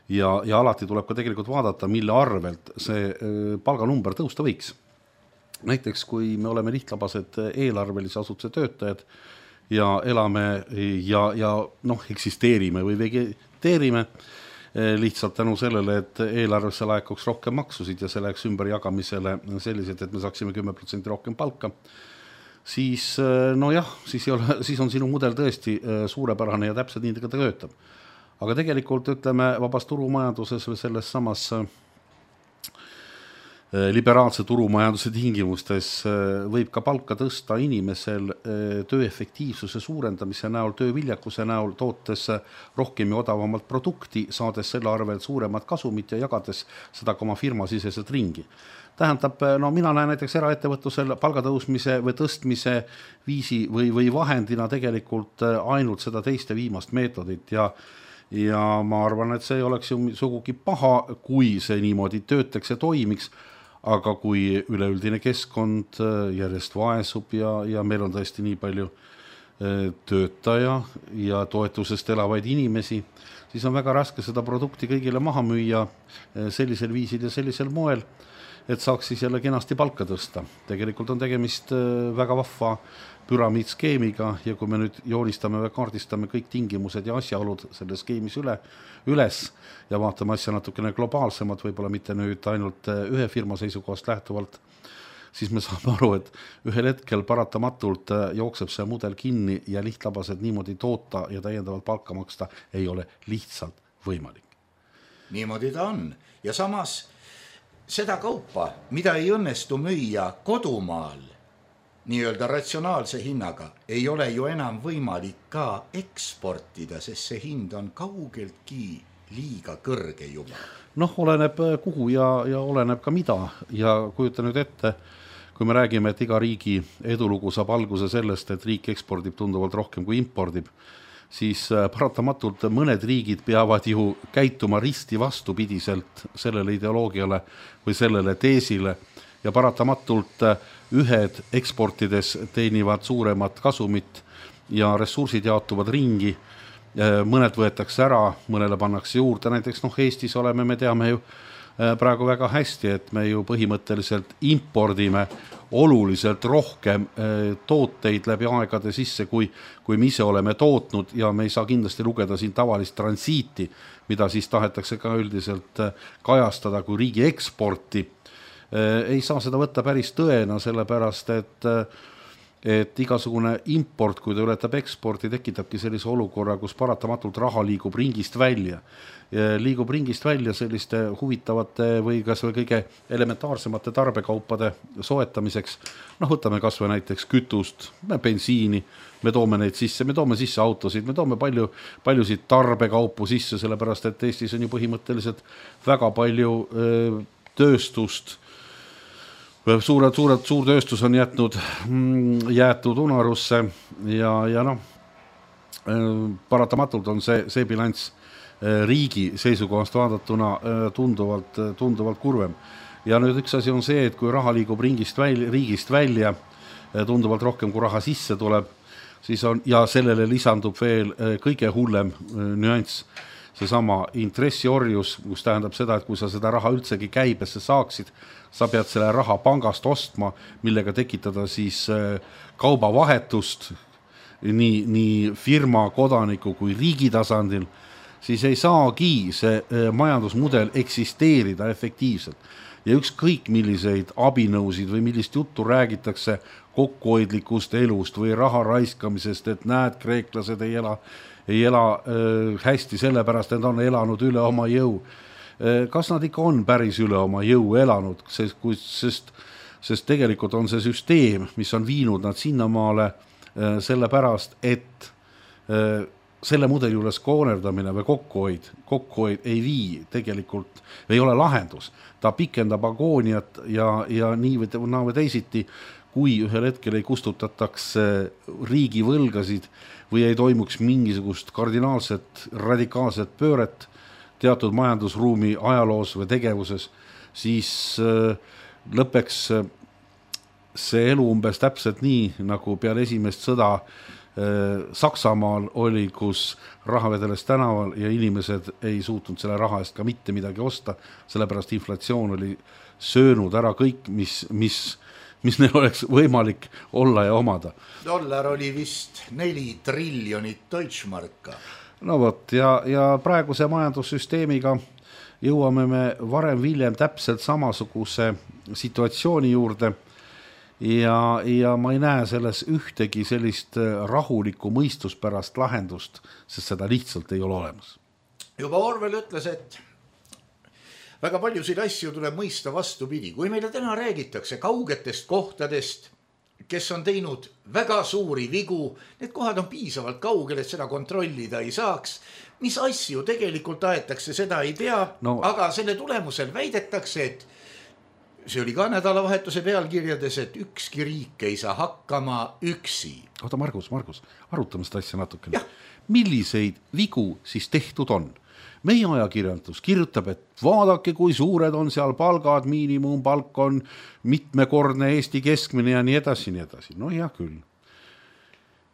Speaker 4: Ja, ja alati tuleb ka tegelikult vaadata, mille arvelt see öö, palganumber tõusta võiks. Näiteks, kui me oleme lihtlabased eelarvelise asutuse töötajad ja elame ja, ja noh, eksisteerime või vegeteerime lihtsalt tänu sellele, et eelarvesse laekuks rohkem maksusid ja see läheks ümber jagamisele sellised, et me saaksime kümme protsenti rohkem palka, siis no jah, siis, ei ole, siis on sinu mudel tõesti suurepärane ja täpselt nii ta töötab. Aga tegelikult ütleme vabas turumajanduses või selles samas liberaalse turumajanduse tingimustes võib ka palka tõsta inimesel töö efektiivsuse suurendamise näol, tööviljakuse näol, tootes rohkem ja odavamalt produkti, saades selle arvel suuremat kasumit ja jagades seda ka oma firma siseselt ringi. Tähendab, no mina näen näiteks eraettevõtlusel palgatõusmise või tõstmise viisi või, või vahendina tegelikult ainult seda teiste viimast meetodit ja ja ma arvan, et see ei oleks ju sugugi paha, kui see niimoodi töötaks ja toimiks, aga kui üleüldine keskkond järjest vaesub ja, ja meil on tõesti nii palju töötaja ja toetusest elavaid inimesi, siis on väga raske seda produkti kõigile maha müüa sellisel viisil ja sellisel moel, et saaks siis jälle kenasti palka tõsta. Tegelikult on tegemist väga vahva püramiidskeemiga ja kui me nüüd joonistame või kaardistame kõik tingimused ja asjaolud selle skeemis üle, üles ja vaatame asja natukene globaalsemalt, võib-olla mitte nüüd ainult ühe firma seisukohast lähtuvalt, siis me saame aru, et ühel hetkel paratamatult jookseb see mudel kinni ja lihtlabased niimoodi toota ja täiendavalt palka maksta ei ole lihtsalt võimalik.
Speaker 3: Niimoodi ta on. Ja samas seda kaupa, mida ei õnnestu müüa kodumaal nii-öelda ratsionaalse hinnaga, ei ole ju enam võimalik ka eksportida, sest see hind on kaugeltki liiga kõrge juba.
Speaker 4: Noh, oleneb kuhu ja, ja oleneb ka mida ja kujuta nüüd ette, kui me räägime, et iga riigi edulugu saab alguse sellest, et riik ekspordib tunduvalt rohkem kui impordib, siis paratamatult mõned riigid peavad ju käituma risti vastupidiselt sellele ideoloogiale või sellele teesile ja paratamatult ühed eksportides teenivad suuremat kasumit ja ressursid jaotuvad ringi, mõned võetakse ära, mõnele pannakse juurde, näiteks noh, Eestis oleme, me teame ju praegu väga hästi, et me ju põhimõtteliselt impordime oluliselt rohkem tooteid läbi aegade sisse, kui, kui me ise oleme tootnud ja me ei saa kindlasti lugeda siin tavalist transiiti, mida siis tahetakse ka üldiselt kajastada kui riigi eksporti. Ei saa seda võtta päris tõena, sellepärast, et et igasugune import, kui ta ületab eksporti, tekitabki sellise olukorra, kus paratamatult raha liigub ringist välja. Liigub ringist välja selliste huvitavate või kas või kõige elementaarsemate tarbekaupade soetamiseks. Noh, võtame kas või näiteks kütust, bensiini, me toome neid sisse, me toome sisse autosid, me toome palju, paljusid tarbekaupu sisse, sellepärast, et Eestis on ju põhimõtteliselt väga palju öö, tööstust, Suured, suured, suur tööstus on jätnud, jäetud unarusse ja, ja noh, paratamatult on see, see bilanss riigi seisukohast vaadatuna tunduvalt, tunduvalt kurvem. Ja nüüd üks asi on see, et kui raha liigub ringist välja, riigist välja tunduvalt rohkem, kui raha sisse tuleb, siis on, ja sellele lisandub veel kõige hullem nüanss, seesama intressiorjus, kus tähendab seda, et kui sa seda raha üldsegi käibesse saaksid, sa pead selle raha pangast ostma, millega tekitada siis kaubavahetust nii, nii firma, kodaniku kui riigi tasandil, siis ei saagi see majandusmudel eksisteerida efektiivselt. Ja ükskõik milliseid abinõusid või millist juttu räägitakse kokkuhoidlikust elust või raha raiskamisest, et näed, kreeklased ei ela, ei ela äh, hästi sellepärast, et on elanud üle oma jõu. Kas nad ikka on päris üle oma jõu elanud, sest, sest, sest tegelikult on see süsteem, mis on viinud nad sinnamaale sellepärast, et selle mudeli juures koonerdamine või kokkuhoid, kokkuhoid ei vii tegelikult, ei ole lahendus. Ta pikendab agooniat ja, ja nii või naa või teisiti, kui ühel hetkel ei kustutataks riigi võlgasid või ei toimuks mingisugust kardinaalset, radikaalset pööret, teatud majandusruumi ajaloos või tegevuses, siis lõpeks see elu umbes täpselt nii, nagu peale esimest sõda Saksamaal oli, kus raha vedeles tänaval ja inimesed ei suutnud selle raha eest ka mitte midagi osta, sellepärast inflatsioon oli söönud ära kõik, mis, mis, mis neil oleks võimalik olla ja omada.
Speaker 3: Dollar oli vist neli triljonit Deutschmarka.
Speaker 4: No võt, ja, ja praeguse majandussüsteemiga jõuame me varem viljem täpselt samasuguse situatsiooni juurde ja, ja ma ei näe selles ühtegi sellist rahulikku mõistuspärast lahendust, sest seda lihtsalt ei ole olemas.
Speaker 3: Juba Orwell ütles, et väga paljusid asju tuleb mõista vastupidi. Kui meile täna räägitakse kaugetest kohtadest, kes on teinud väga suuri vigu, need kohad on piisavalt kaugel, et seda kontrollida ei saaks. Mis asju tegelikult aetakse, seda ei tea, no, aga selle tulemusel väidetakse, et see oli ka nädalavahetuse pealkirjades, et ükski riik ei saa hakkama üksi.
Speaker 4: Oota, Margus, Margus, arutame seda asja natukene. Milliseid vigu siis tehtud on? Meie ajakirjanduus kirjutab, et vaadake, kui suured on seal palgad, miinimumpalk on mitmekordne Eesti keskmine ja nii edasi, nii edasi. No jah, küll.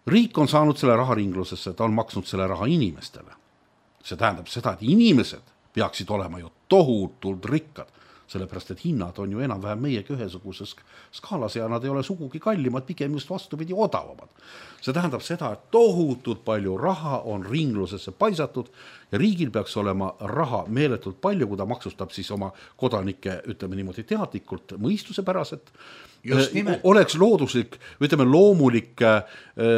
Speaker 4: Riik on saanud selle raha ringlusesse, ta on maksnud selle raha inimestele. See tähendab seda, et inimesed peaksid olema ju tohutult rikkad, sellepärast, et hinnad on ju enam-vähem meiega ühesuguses skaalas ja nad ei ole sugugi kallimad, pigem just vastupidi odavamad. See tähendab seda, et tohutult palju raha on ringlusesse paisatud ja riigil peaks olema raha meeletult palju, kui ta maksustab siis oma kodanike, ütleme niimoodi teadlikult, mõistuse päraselt oleks looduslik, ütleme loomulik äh,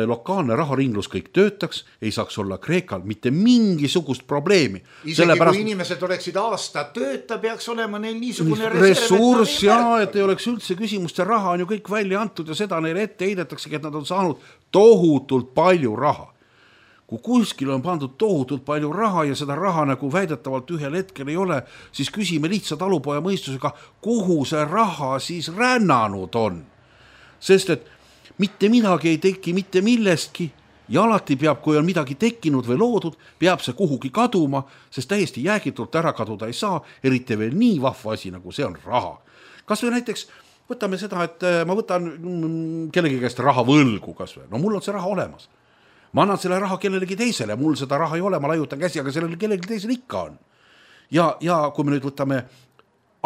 Speaker 4: lokaalne raharinglus, kõik töötaks, ei saaks olla Kreekal mitte mingisugust probleemi.
Speaker 3: Isegi Sellepärast... kui inimesed oleksid aasta tööta, peaks olema neil niisugune
Speaker 4: ressurss ja et ei oleks üldse küsimust, see raha on ju kõik välja antud ja seda neile ette heidetaksegi, et nad on saanud tohutult palju raha. Kui kuskil on pandud tohutult palju raha ja seda raha nagu väidetavalt ühel hetkel ei ole, siis küsime lihtsalt talupoja mõistusega, kuhu see raha siis rännanud on. Sest et mitte midagi ei teki mitte millestki ja alati peab, kui on midagi tekkinud või loodud, peab see kuhugi kaduma, sest täiesti jäägitult ära kaduda ei saa, eriti veel nii vahva asi, nagu see on raha. Kas või näiteks võtame seda, et ma võtan kellegi käest raha võlgu kas või, no mul on see raha olemas. Ma annan selle raha kellelegi teisele, mul seda raha ei ole, ma laiutan käsi, aga sellele kellelegi teisele ikka on. Ja, ja kui me nüüd võtame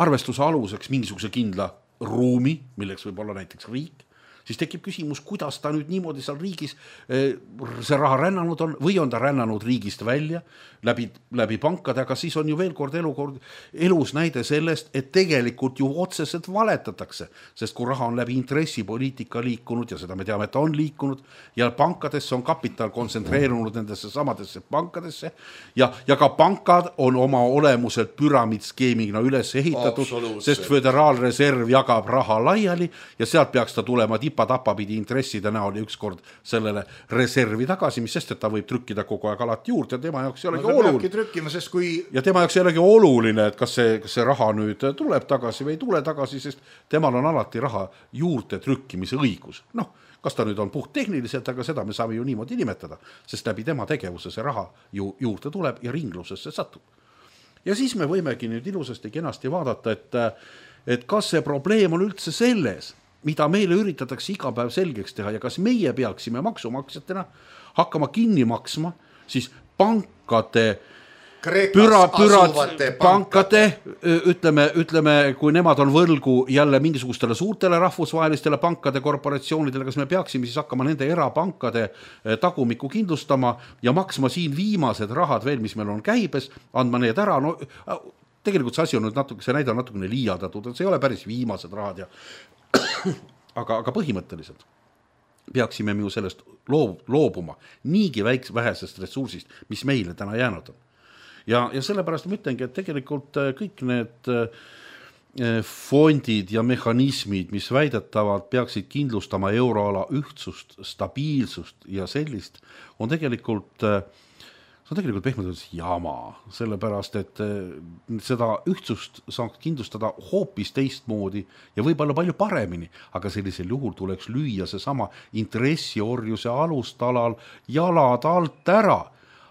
Speaker 4: arvestuse aluseks mingisuguse kindla ruumi, milleks võib olla näiteks riik, siis tekib küsimus, kuidas ta nüüd niimoodi seal riigis see raha rännanud on või on ta rännanud riigist välja läbi, läbi pankade, aga siis on ju veel kord elukord, elus näide sellest, et tegelikult ju otseselt valetatakse, sest kui raha on läbi intressipoliitika liikunud ja seda me teame, et on liikunud ja pankadesse on kapital kontsentreerunud nendesse samadesse pankadesse ja, ja ka pankad on oma olemuselt püramiidskeemina üles ehitatud, sest föderaalreserv jagab raha laiali ja sealt peaks ta tulema tipa tapa pidi intresside näol ja ükskord sellele reservi tagasi, mis sest, et ta võib trükkida kogu aeg alati juurde ja tema jaoks ei olegi no, oluline.
Speaker 3: Trükkima, sest kui...
Speaker 4: Ja tema jaoks ei olegi oluline, et kas see, kas see raha nüüd tuleb tagasi või ei tule tagasi, sest temal on alati raha juurde trükkimise õigus. Noh, kas ta nüüd on puht tehniliselt, aga seda me saame ju niimoodi nimetada, sest läbi tema tegevuse see raha ju juurde tuleb ja ringlusesse satub. Ja siis me võimegi nüüd ilusasti kenasti vaadata, et, et kas see probleem on üldse selles, mida meile üritatakse iga päev selgeks teha ja kas meie peaksime maksumaksjatena hakkama kinni maksma, siis pankade, püra, pürad, pankade, ütleme, ütleme, kui nemad on võlgu jälle mingisugustele suurtele rahvusvahelistele pankade korporatsioonidele, kas me peaksime siis hakkama nende erapankade tagumikku kindlustama ja maksma siin viimased rahad veel, mis meil on käibes, andma need ära, no tegelikult see asi on nüüd natuke, see näide on natukene liialdatud, et see ei ole päris viimased rahad ja aga, aga põhimõtteliselt peaksime me ju sellest loob, loobuma niigi väiks vähesest ressursist, mis meile täna jäänud on. Ja, ja sellepärast ma ütlengi, et tegelikult kõik need fondid ja mehhanismid, mis väidetavalt peaksid kindlustama euroala ühtsust, stabiilsust ja sellist, on tegelikult see on tegelikult pehmelt jama, sellepärast, et seda ühtsust saaks kindlustada hoopis teistmoodi ja võib-olla palju paremini, aga sellisel juhul tuleks lüüa see sama intressiorjuse alustalal jalad alt ära.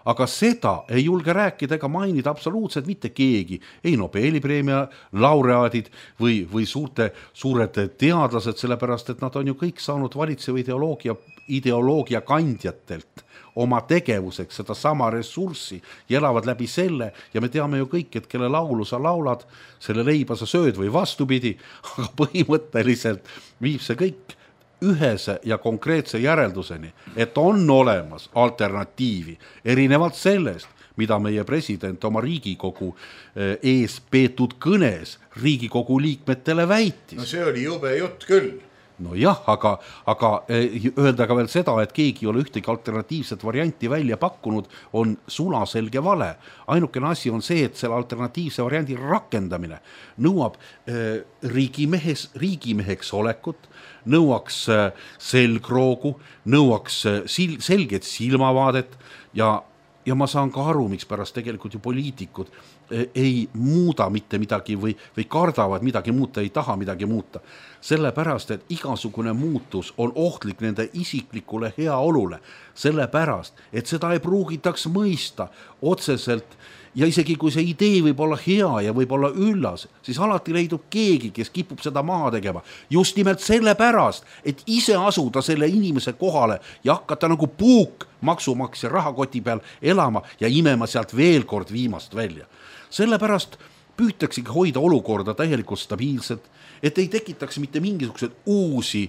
Speaker 4: Aga seda ei julge rääkida ega mainida absoluutselt mitte keegi, ei Nobeli preemia laureaadid või, või suurte, suured teadlased, sellepärast, et nad on ju kõik saanud valitseva ideoloogia, ideoloogia kandjatelt oma tegevuseks seda sama ressurssi ja elavad läbi selle ja me teame ju kõik, et kelle laulu sa laulad, selle leiba sa sööd või vastupidi, aga põhimõtteliselt viib see kõik ühese ja konkreetse järelduseni, et on olemas alternatiivi, erinevalt sellest, mida meie president oma Riigikogu ees peetud kõnes Riigikogu liikmetele väitis.
Speaker 3: No see oli jube jutt küll.
Speaker 4: No jah, aga, aga öelda ka veel seda, et keegi ei ole ühtegi alternatiivset varianti välja pakkunud, on sulaselge vale. Ainukene asi on see, et selle alternatiivse variandi rakendamine nõuab äh, riigimehes, riigimeheks olekut, nõuaks äh, selgroogu, nõuaks äh, sil, selget silmavaadet ja Ja ma saan ka aru, miks pärast tegelikult ju poliitikud ei muuda mitte midagi või, või kardavad midagi muuta, ei taha midagi muuta. Sellepärast, et igasugune muutus on ohtlik nende isiklikule heaolule. Sellepärast, et seda ei pruugitaks mõista otseselt ja isegi kui see idee võib olla hea ja võib olla üllas, siis alati leidub keegi, kes kipub seda maha tegema. Just nimelt sellepärast, et ise asuda selle inimese kohale ja hakata nagu puuk maksumaksja rahakoti peal elama ja imema sealt veel kord viimast välja. Sellepärast püütaksegi hoida olukorda täielikult stabiilselt, et ei tekitaks mitte mingisugused uusi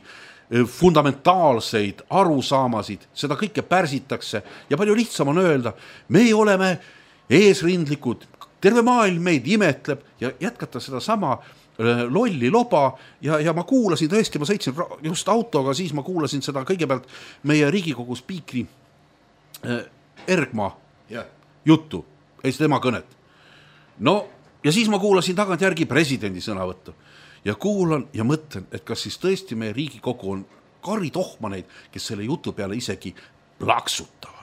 Speaker 4: fundamentaalseid arusaamasid, seda kõike pärsitakse ja palju lihtsam on öelda, me oleme eesrindlikud, terve maailm meid imetleb ja jätkata seda sama lolli loba ja, ja ma kuulasin tõesti, ma sõitsin just autoga, siis ma kuulasin seda kõigepealt meie Riigikogu spiikri Ergma
Speaker 3: ja.
Speaker 4: juttu, ei tema kõnet. No ja siis ma kuulasin tagantjärgi presidendi sõnavõttu ja kuulan ja mõtlen, et kas siis tõesti meie Riigikogu on karitohmaneid, kes selle jutu peale isegi plaksutavad.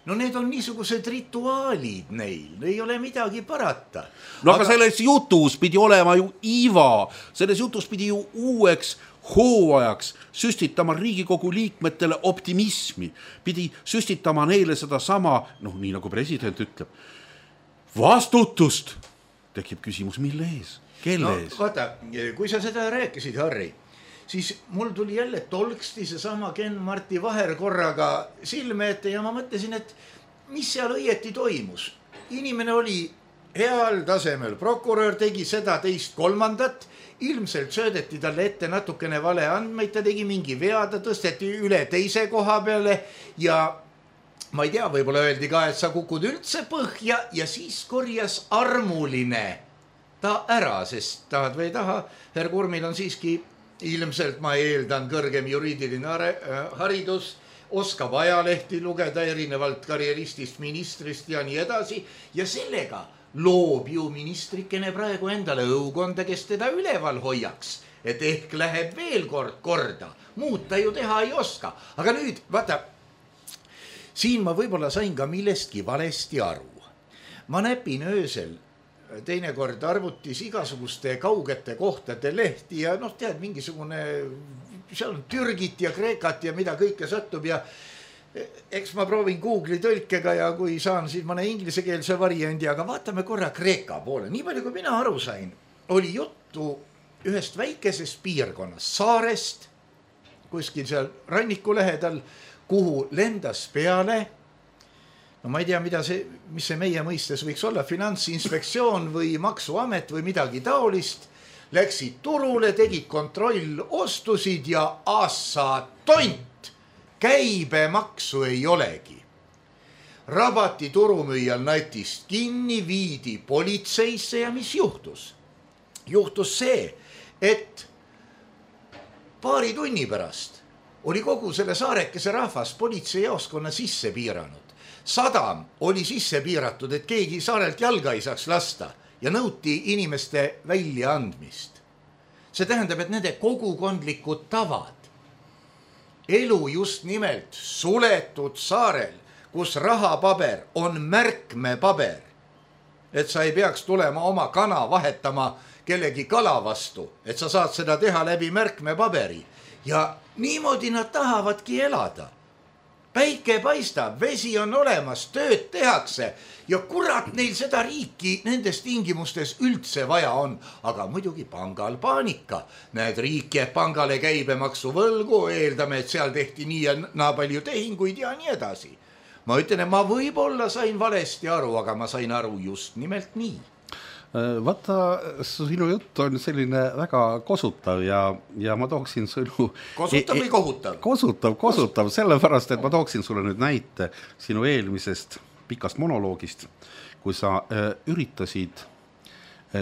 Speaker 3: No need on niisugused rituaalid neil, ei ole midagi parata.
Speaker 4: No aga, aga selles jutus pidi olema ju iva, selles jutus pidi ju uueks hooajaks süstitama Riigikogu liikmetele optimismi, pidi süstitama neile seda sama, noh nii nagu president ütleb, vastutust. Tekib küsimus, mille ees, kelle
Speaker 3: no,
Speaker 4: ees?
Speaker 3: Vaata, kui sa seda rääkisid, Harri, siis mul tuli jälle tolksti see sama Ken-Marti Vaher korraga silme ette ja ma mõtlesin, et mis seal õieti toimus. Inimene oli heal tasemel, prokurör tegi seda teist kolmandat, ilmselt söödeti talle ette natukene vale andmeid, ta tegi mingi vea, ta tõsteti üle teise koha peale ja ma ei tea, võib-olla öeldi ka, et sa kukud üldse põhja ja siis korjas armuline ta ära, sest tahad või ei taha, Herr Kurmil on siiski ilmselt, ma eeldan, kõrgem juriidiline haridus, oskab ajalehti lugeda erinevalt karjeristist, ministrist ja nii edasi ja sellega loob ju ministrikene praegu endale õukonda, kes teda üleval hoiaks, et ehk läheb veel kord korda, muud ta ju teha ei oska. Aga nüüd, vaata, siin ma võib-olla sain ka millestki valesti aru. Ma näpin öösel teinekord arvutis igasuguste kaugete kohtade lehti ja noh, tead, mingisugune, seal on Türgit ja Kreekat ja mida kõike satub ja eks ma proovin Google'i tõlkega ja kui saan, siis ma näen inglisekeelse variandi, aga vaatame korra Kreeka poole. Nii palju, kui mina aru sain, oli juttu ühest väikesest piirkonnast, saarest, kuskil seal ranniku lähedal, kuhu lendas peale, no ma ei tea, mida see, mis see meie mõistes võiks olla, finantsinspektsioon või maksuamet või midagi taolist, läksid turule, tegid kontroll, ostusid ja aassa tont. Käibemaksu ei olegi. Rabati turumüüjal natist kinni, viidi politseisse ja mis juhtus? Juhtus see, et paari tunni pärast oli kogu selle saarekese rahvas politseijaoskonna sisse piiranud. Sadam oli sisse piiratud, et keegi saarelt jalga ei saaks lasta ja nõuti inimeste väljaandmist. See tähendab, et nende kogukondlikud tavad, elu just nimelt suletud saarel, kus rahapaber on märkmepaber, et sa ei peaks tulema oma kana vahetama kellegi kala vastu, et sa saad seda teha läbi märkmepaberi ja niimoodi nad tahavadki elada. Päike paistab, vesi on olemas, tööd tehakse ja kurat neil seda riiki nendes tingimustes üldse vaja on. Aga muidugi pangal paanika. Näed, riik jääb pangale käibemaksu võlgu, eeldame, et seal tehti nii ja naa palju tehinguid ja nii edasi. Ma ütlen, et ma võib-olla sain valesti aru, aga ma sain aru just nimelt nii.
Speaker 4: Vaata, sinu jutt on selline väga kosutav ja, ja ma tooksin sinu...
Speaker 3: Kosutav või kohutav?
Speaker 4: Kosutav, kosutav, sellepärast, et ma tooksin sulle nüüd näite sinu eelmisest pikast monoloogist, kui sa üritasid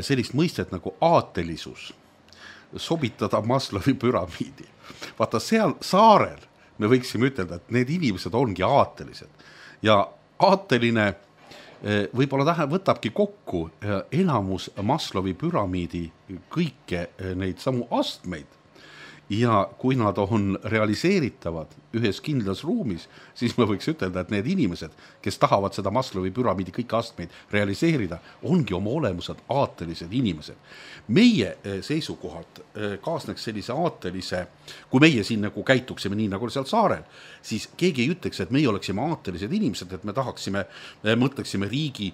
Speaker 4: sellist mõistet nagu aatelisus sobitada Maslowi püramiidi. Vaata, seal saarel me võiksime ütelda, et need inimesed ongi aatelised ja aateline võib-olla tähe, võtabki kokku enamus Maslowi püramiidi kõike neid samu astmeid ja kui nad on realiseeritavad ühes kindlas ruumis, siis me võiks ütelda, et need inimesed, kes tahavad seda Maslowi püramiidi kõiki astmeid realiseerida, ongi oma olemused aatelised inimesed. Meie seisukohalt kaasneks sellise aatelise, kui meie siin nagu käituksime nii nagu seal saarel, siis keegi ei ütleks, et meie oleksime aatelised inimesed, et me tahaksime, mõtleksime riigi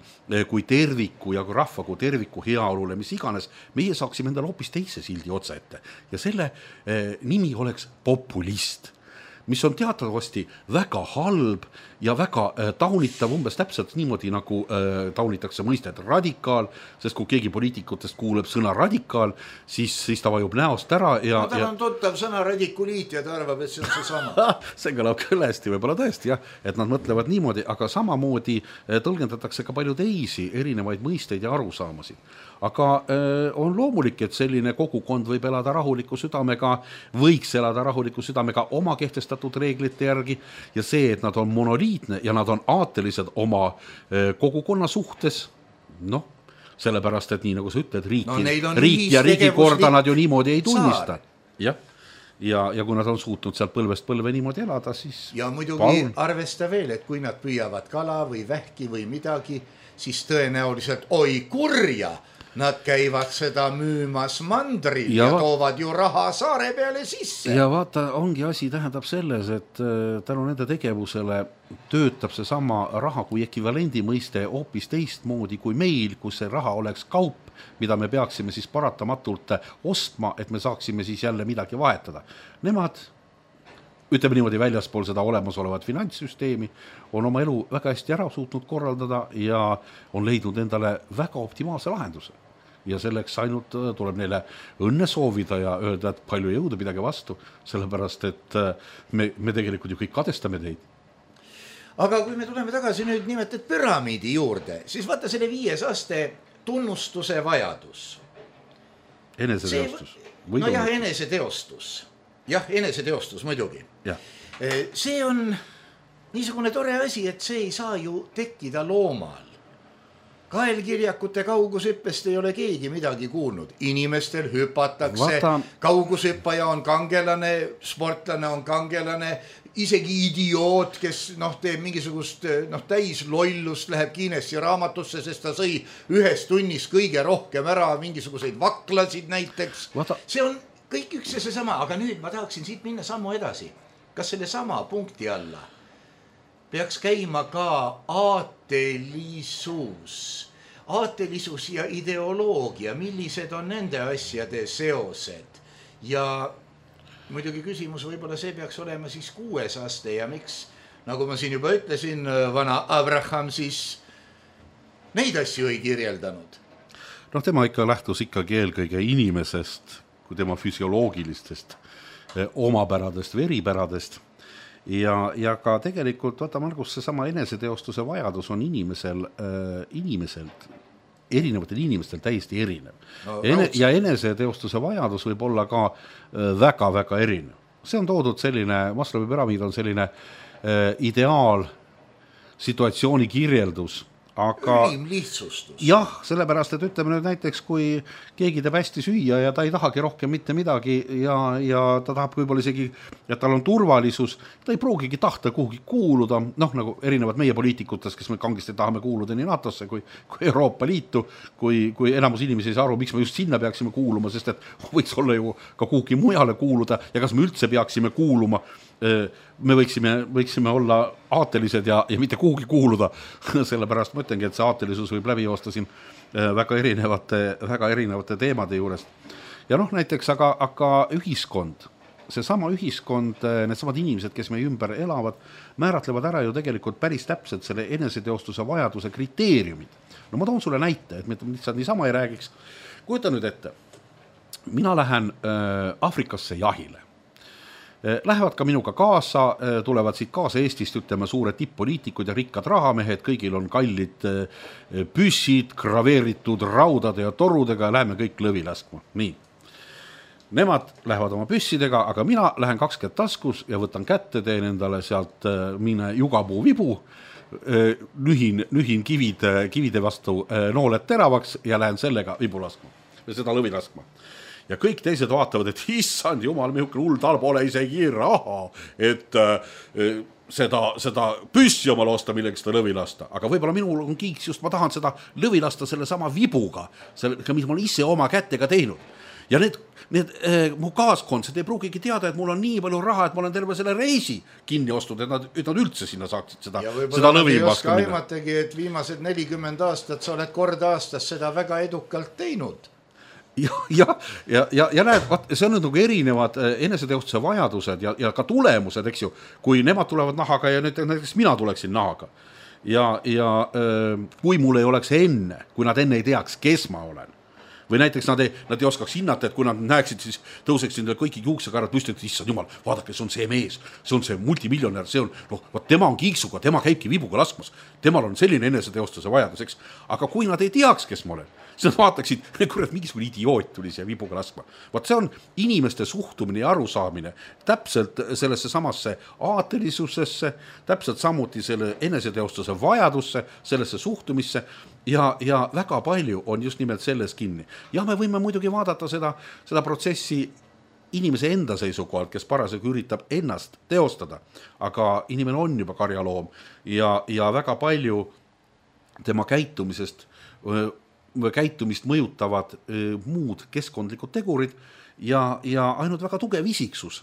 Speaker 4: kui terviku ja kui rahva kui terviku heaolule, mis iganes, meie saaksime endale hoopis teise sildi otsa ette ja selle nimi oleks populist. mis on teatavasti väga halb ja väga äh, taunitav, umbes täpselt niimoodi, nagu äh, taunitakse mõistet radikaal, sest kui keegi poliitikutest kuuleb sõna radikaal, siis, siis ta vajub näost ära. Ja,
Speaker 3: no tal
Speaker 4: ja...
Speaker 3: on tuttav sõna radikuliit ja ta arvab, et see on see sama.
Speaker 4: see kõlab küll hästi, võib-olla tõesti, jah, et nad mõtlevad niimoodi, aga samamoodi tõlgendatakse ka palju teisi erinevaid mõisteid ja arusaamasid. Aga äh, on loomulik, et selline kogukond võib elada rahuliku südamega, võiks elada rahuliku südamega oma kehtestatud reeglite järgi ja see, et nad on monoliitne ja nad on aatelised oma äh, kogukonna suhtes, noh, sellepärast, et nii nagu sa ütled, riik, no, riik ja riigikorda nad ju niimoodi ei tunnista. Jah. Ja, ja kui nad on suutnud sealt põlvest põlve niimoodi elada, siis...
Speaker 3: Ja muidugi palun. Arvesta veel, et kui nad püüavad kala või vähki või midagi, siis tõenäoliselt oi kurja, nad käivad seda müümas mandril ja, ja va- toovad ju raha saare peale sisse.
Speaker 4: Ja vaata, ongi asi tähendab selles, et tänu nende tegevusele töötab see sama raha kui ekvivalendi mõiste hoopis teistmoodi kui meil, kus see raha oleks kaup, mida me peaksime siis paratamatult ostma, et me saaksime siis jälle midagi vahetada. Nemad, ütleme niimoodi väljaspool seda olemasolevat finantssüsteemi, on oma elu väga hästi ära suutnud korraldada ja on leidnud endale väga optimaalse lahenduse. Ja selleks ainult tuleb neile õnne soovida ja öelda, et palju jõuda midagi vastu, sellepärast, et me, me tegelikult ju kõik kadestame teid.
Speaker 3: Aga kui me tuleme tagasi nüüd nimetet püramiidi juurde, siis vaata selle viies aste tunnustuse vajadus.
Speaker 4: Eneseteostus.
Speaker 3: See, no jah, eneseteostus. Jah, eneseteostus muidugi.
Speaker 4: Ja.
Speaker 3: See on niisugune tore asi, et see ei saa ju tekkida loomal. Kaelkirjakute kaugushüppest ei ole keegi midagi kuulnud. Inimestel hüpatakse, Vata... kaugushüppaja on kangelane, sportlane on kangelane, isegi idioot, kes noh, teeb mingisugust noh, täis lollust, läheb Guinessi raamatusse, sest ta sõi ühes tunnis kõige rohkem ära, mingisuguseid vaklasid näiteks. Vata... See on kõik üks ja see sama, aga nüüd ma tahaksin siit minna sammu edasi. Kas selle sama punkti alla peaks käima ka aatelisus, aatelisus ja ideoloogia, millised on nende asjade seosed ja muidugi küsimus võib-olla see peaks olema siis kuues aste ja miks, nagu ma siin juba ütlesin, vana Abraham siis neid asju ei kirjeldanud.
Speaker 4: Noh, tema ikka lähtus ikkagi eelkõige inimesest, kui tema füsioloogilistest omapäradest või eripäradest. Ja, ja ka tegelikult, vaata Margus, see sama eneseteostuse vajadus on inimesel, äh, inimeselt, erinevatel inimestel täiesti erinev. No, Ene, ja eneseteostuse vajadus võib olla ka väga-väga äh, erinev. See on toodud selline, Maslowi püramiid on selline äh, ideaal situatsiooni kirjeldus, aga
Speaker 3: ülim lihtsustus.
Speaker 4: Jah, sellepärast, et ütleme nüüd näiteks, kui keegi teeb hästi süüa ja ta ei tahagi rohkem mitte midagi ja, ja ta tahab võib-olla isegi, et tal on turvalisus, ta ei pruugigi tahta kuhugi kuuluda, noh nagu erinevad meie poliitikutest, kes me kangesti tahame kuuluda nii NATOsse kui, kui Euroopa Liitu, kui, kui enamus inimesi ei saa aru, miks me just sinna peaksime kuuluma, sest et võiks olla ju ka kuhugi mujale kuuluda ja kas me üldse peaksime kuuluma, me võiksime, võiksime olla aatelised ja, ja mitte kuhugi kuuluda, sellepärast ma ütlengi, et see aatelisus võib läbi joosta siin väga erinevate, väga erinevate teemade juurest. Ja noh, näiteks aga, aga ühiskond, see sama ühiskond, need samad inimesed, kes meie ümber elavad, määratlevad ära ju tegelikult päris täpselt selle eneseteostuse vajaduse kriteeriumid. No ma toon sulle näite, et me lihtsalt niisama ei räägiks. Kujuta nüüd ette, mina lähen äh, Afrikasse jahile. Lähevad ka minuga kaasa, tulevad siit kaasa Eestist, ütleme, suured tipp-poliitikud ja rikkad rahamehed, kõigil on kallid püssid, graveeritud raudade ja torudega ja läheme kõik lõvi laskma. Nii. Nemad lähevad oma püssidega, aga mina lähen kakskümmend taskus ja võtan kätte, teen endale sealt mine jugapuu vibu, nühin, nühin kivide, kivide vastu nooled teravaks ja lähen sellega vibu laskma ja seda lõvi laskma. Ja kõik teised vaatavad, et issand jumal, mihukene hull tal pole isegi raha, et äh, seda, seda püssi omal osta millegi seda lõvi lasta. Aga võib-olla minul on kiiks just, ma tahan seda lõvi lasta selle sama vibuga, selle, mis ma olen ise oma kättega teinud. Ja need, need äh, mu kaaskondsed ei pruugigi teada, et mul on nii palju raha, et ma olen terve selle reisi kinni ostud, et nad, et nad üldse sinna saaksid seda, seda lõvi vastu minna. Ja võib-olla ei oska aimategi, et viimased nelikümmend aastat sa oled kord aastas seda väga edukalt teinud. ja, ja, ja, ja, ja näed, see on nagu erinevad eneseteostuse vajadused ja, ja ka tulemused, eks ju, kui nemad tulevad nahaga ja nüüd näiteks mina tuleksin nahaga ja, ja kui mul ei oleks enne, kui nad enne ei teaks, kes ma olen, või näiteks nad ei, nad ei oskaks hinnata, et kui nad näeksid, siis tõuseks endale kõiki juuksekarad püsti, et issand jumal, vaadake, see on see mees, see on see multimiljonär, see on, noh, vaat tema on kiiksuga, tema käibki vibuga laskmas, temal on selline eneseteostuse vajadus, eks, aga kui nad ei teaks, kes ma olen, siis nad vaataksid, kurat, mingisugune idioot tuli siia vibuga laskma. Vaat see on inimeste suhtumine ja arusaamine täpselt sellesse samasse aatelisusesse, täpselt samuti selle eneseteostuse vajadusse, sellesse suhtumisse ja, ja väga palju on just nimelt selles kinni. Ja me võime muidugi vaadata seda, seda protsessi inimese enda seisukohalt, kes parasjagu üritab ennast teostada, aga inimene on juba karjaloom ja, ja väga palju tema käitumisest käitumist mõjutavad öö, muud keskkondlikud tegurid ja, ja ainult väga tugev isiksus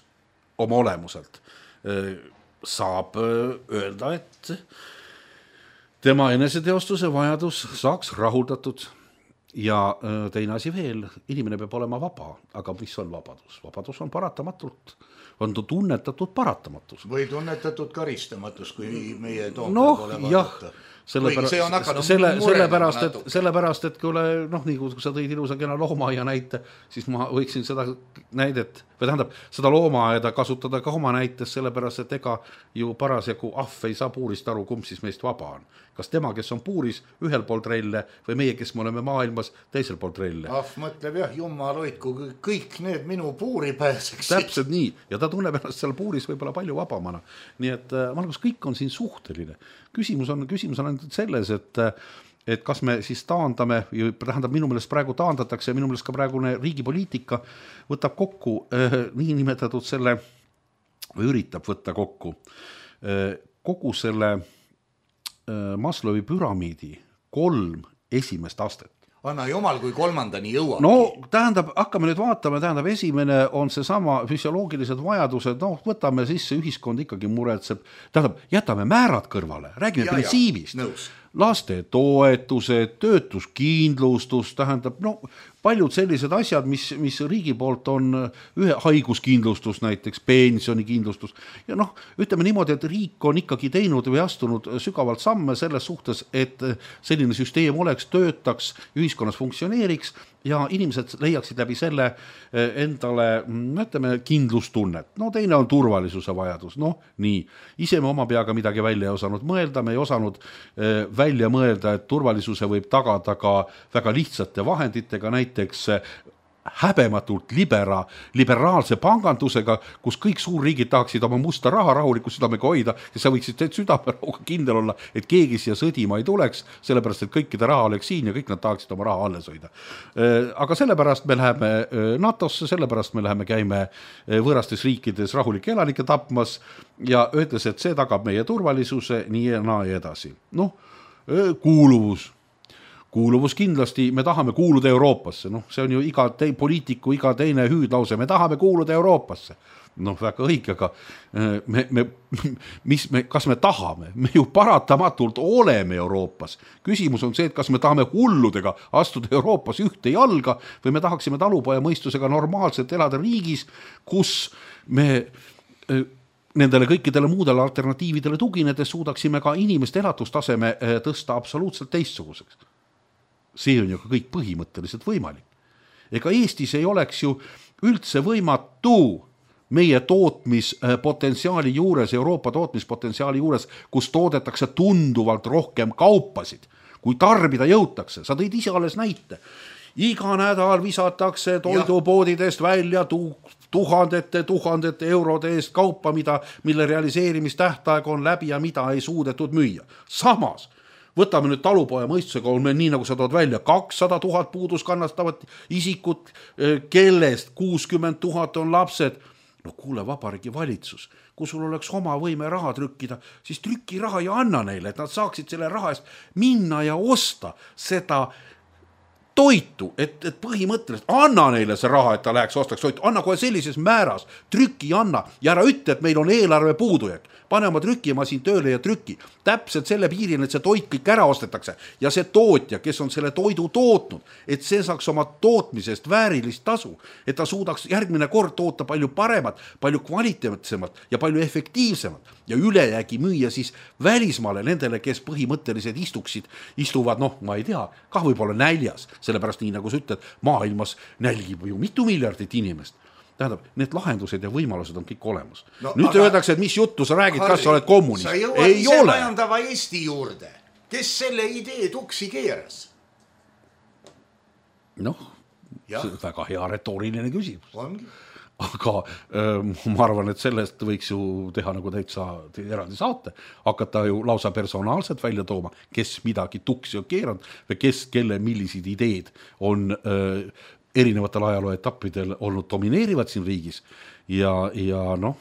Speaker 4: oma olemuselt öö, saab öö, öelda, et tema eneseteostuse vajadus saaks rahuldatud ja öö, teine asi veel, inimene peab olema vaba, aga mis on vabadus? Vabadus on paratamatult, on tunnetatud paratamatus.
Speaker 3: Või tunnetatud karistamatus, kui meie toom
Speaker 4: no,
Speaker 3: peab olema vaadata.
Speaker 4: Sellepärast, selle, sellepärast, et, sellepärast, et kui, ole, noh, nii kui sa tõid ilusa kena loomaaia näite, siis ma võiksin seda näidet, või tähendab, seda loomaaeda kasutada ka oma näites, sellepärast, et ega ju parasjagu ahv ei saa puurist aru, kumb siis meist vaba on. Kas tema, kes on puuris ühel pool trelle või meie, kes me oleme maailmas teisel pool trelle.
Speaker 3: Ahv mõtleb jah, jumal hoid, kui kõik need minu puuri pääseks.
Speaker 4: Täpselt nii, ja ta tunneb ennast seal puuris võib-olla palju vabamana. Nii et ma arvan, kõik on siin suhteline. Küsimus on, küsimus on ainult selles, et, et kas me siis taandame, tähendab minu meelest praegu taandatakse, minu meelest ka praegune riigipoliitika võtab kokku eh, nii nimetatud selle, või üritab võtta kokku eh, kogu selle eh, Maslowi püramiidi kolm esimest astet.
Speaker 3: Anna jumal, kui kolmandani jõuab.
Speaker 4: No tähendab, hakkame nüüd vaatama, tähendab esimene on see sama füsioloogilised vajadused, noh võtame sisse, ühiskond ikkagi muretseb, tähendab jätame määrad kõrvale, räägime ja, printsiibist, ja, laste toetused, töötuskindlustus, tähendab no paljud sellised asjad, mis, mis riigi poolt on ühe haiguskindlustus näiteks, pensionikindlustus ja noh, ütleme niimoodi, et riik on ikkagi teinud või astunud sügavalt samme selles suhtes, et selline süsteem oleks, töötaks, ühiskonnas funktsioneeriks ja inimesed leiaksid läbi selle endale, ütleme, kindlustunnet. No teine on turvalisuse vajadus, noh nii, ise me oma peaga midagi välja ei osanud mõelda, me ei osanud välja mõelda, et turvalisuse võib tagada ka väga lihtsate vahenditega, näiteks häbematult libera, liberaalse pangandusega, kus kõik suurriigid tahaksid oma musta raha rahuliku südamega hoida ja sa võiksid südamerahuga kindel olla, et keegi siia sõdima ei tuleks, sellepärast, et kõikide raha oleks siin ja kõik nad tahaksid oma raha alles hoida. Aga sellepärast me läheme NATOsse, sellepärast me läheme käime võõrastes riikides rahulike elanike tapmas ja öeldes, et see tagab meie turvalisuse nii ja naa ja edasi. Noh, kuuluvus. Kuuluvus kindlasti, me tahame kuuluda Euroopasse, noh, see on ju iga te, poliitiku, iga teine hüüdlause, me tahame kuuluda Euroopasse. Noh, väga õige, aga me, me, mis me, kas me tahame? Me ju paratamatult oleme Euroopas. Küsimus on see, et kas me tahame hulludega astuda Euroopas ühte jalga või me tahaksime talupoja mõistusega normaalselt elada riigis, kus me nendele kõikidele muudele alternatiividele tuginedes suudaksime ka inimeste elatustaseme tõsta absoluutselt teistsuguseks. See on ju ka kõik põhimõtteliselt võimalik. Ega Eestis ei oleks ju üldse võimatu meie tootmispotentsiaali juures, Euroopa tootmispotentsiaali juures, kus toodetakse tunduvalt rohkem kaupasid, kui tarbida jõutakse. Sa tõid ise alles näite. Iga nädal visatakse toidupoodidest välja tu- tuhandete, tuhandete eurode eest kaupa, mida, mille realiseerimistähtaeg on läbi ja mida ei suudetud müüa. Samas, võtame nüüd talupoja mõistusega, on meil nii, nagu sa tood välja, kakssada tuhat puudus kannastavat isikut, kellest kuuskümmend tuhat on lapsed. No kuule, vabariigi valitsus, kui sul oleks oma võime raha trükkida, siis trüki raha ja anna neile, et nad saaksid selle raha eest minna ja osta seda toitu, et, et põhimõtteliselt anna neile see raha, et ta läheks ostaks toitu, anna kohe sellises määras, trüki anna ja ära ütle, et meil on eelarve puudujääk. Pane oma trükimasin tööle ja trüki. Täpselt selle piiril, et see toit kõik ära ostetakse ja see tootja, kes on selle toidu tootnud, et see saaks oma tootmisest väärilist tasu, et ta suudaks järgmine kord toota palju paremat, palju kvaliteetsemat ja palju efektiivsemat ja ülejäägi müüa siis välismaale nendele, kes põhimõtteliselt istuksid, istuvad, noh, ma ei tea, kah võib-olla näljas, sellepärast nii nagu sa ütled, maailmas nälgib ju mitu miljardit inimest. Tähendab, need lahendused ja võimalused on kõik olemas. No, nüüd aga... öeldakse, et mis juttu sa räägid, Harri, kas sa oled kommunist.
Speaker 3: Sa jõuad ei ise ole. Majandava Eesti juurde. Kes selle idee tuksi keeras?
Speaker 4: Noh, see on väga hea retooriline küsimus.
Speaker 3: Ongi.
Speaker 4: Aga äh, ma arvan, et sellest võiks ju teha nagu täitsa eraldi saate, hakata ju lausa personaalselt välja tooma, kes midagi tuksi on keeranud või kes, kelle millisid ideed on äh, erinevatel ajaloo etappidel olnud domineerivad siin riigis ja, ja noh,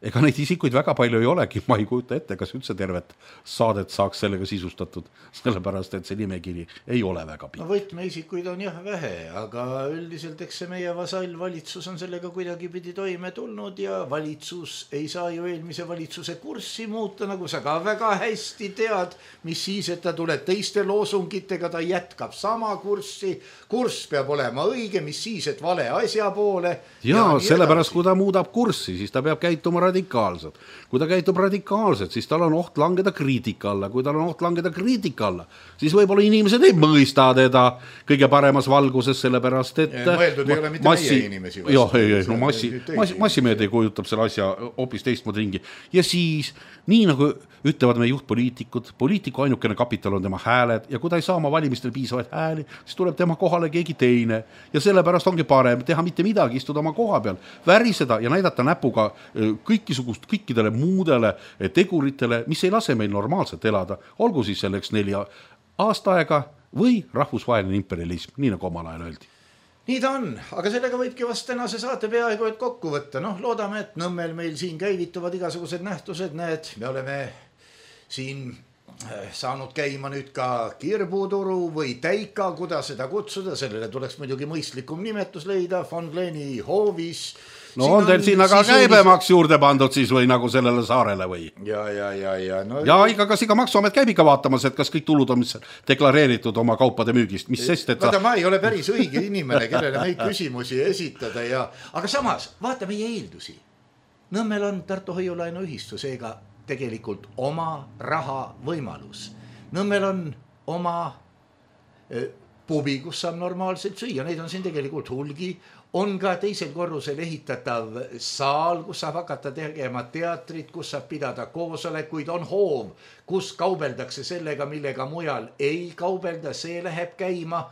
Speaker 4: ega neid isikuid väga palju ei olegi, ma ei kujuta ette, kas üldse tervet saadet saaks sellega sisustatud, sellepärast, et see nimekiri ei ole väga pikk.
Speaker 3: No võtmeisikuid on jah vähe, aga üldiselt eks see meie vasallvalitsus on sellega kuidagi pidi toime tulnud ja valitsus ei saa ju eelmise valitsuse kurssi muuta, nagu sa ka väga hästi tead, mis siis, et ta tuleb teiste loosungitega, ta jätkab sama kurssi, kurss peab olema õige, mis siis, et vale asja poole.
Speaker 4: Ja, ja sellepärast, kui ta muudab kurssi, siis ta peab käituma radikaalselt. Kui ta käitub radikaalselt, siis tal on oht langeda kriitika alla. Kui tal on oht langeda kriitika alla, siis võib-olla inimesed ei mõista teda kõige paremas valguses, sellepärast, et
Speaker 3: ja, mõeldud ei ole mitte massi... meie inimesi.
Speaker 4: Jah, ei, ei, no massi, massi, massimeedia kujutab selle asja hoopis teistmoodi ringi. Ja siis, nii nagu ütlevad meie juhtpoliitikud, poliitiku ainukene kapital on tema hääled ja kui ta ei saa oma valimistel piisavaid hääli, siis tuleb tema kohale keegi teine ja sellepärast ongi parem teha mitte midagi, istuda oma koha peal, väriseda ja näidata näpuga kõikisugust, kõikidele muudele teguritele, mis ei lase meil normaalselt elada, olgu siis selleks neli aasta aega või rahvusvaheline imperialism, nii nagu omal ajal öeldi.
Speaker 3: Nii ta on, aga sellega võibki vast tänase saate peaaegu et kokku võtta. Noh, loodame, et Nõmmel meil siin käivituvad igasugused nähtused, näed, me oleme siin saanud käima nüüd ka Kirbuturu või Täika, kuidas seda kutsuda, sellele tuleks muidugi mõistlikum nimetus leida, Von Gleni hoovis.
Speaker 4: No siin on teil siin aga käibemaks juurde pandud siis või nagu sellele saarele või?
Speaker 3: Ja, ja, ja, ja. No,
Speaker 4: ja ikka, kas ikka maksuamet käib ikka vaatamas, et kas kõik tulud on mis deklareeritud oma kaupade müügist, mis sest, et
Speaker 3: vaata, sa... ma ei ole päris õige inimene, kellele neid küsimusi esitada ja, aga samas, vaata meie eeldusi. Nõmmel on Tartu hoiulaenu ühistu, seega tegelikult oma raha võimalus. Nõmmel on oma eh, pubi, kus saab normaalselt süüa, neid on siin tegelikult hulgi. On ka teisel korrusel ehitatav saal, kus saab hakata tegema teatrit, kus saab pidada koosolekuid, on hoov, kus kaubeldakse sellega, millega mujal ei kaubelda, see läheb käima.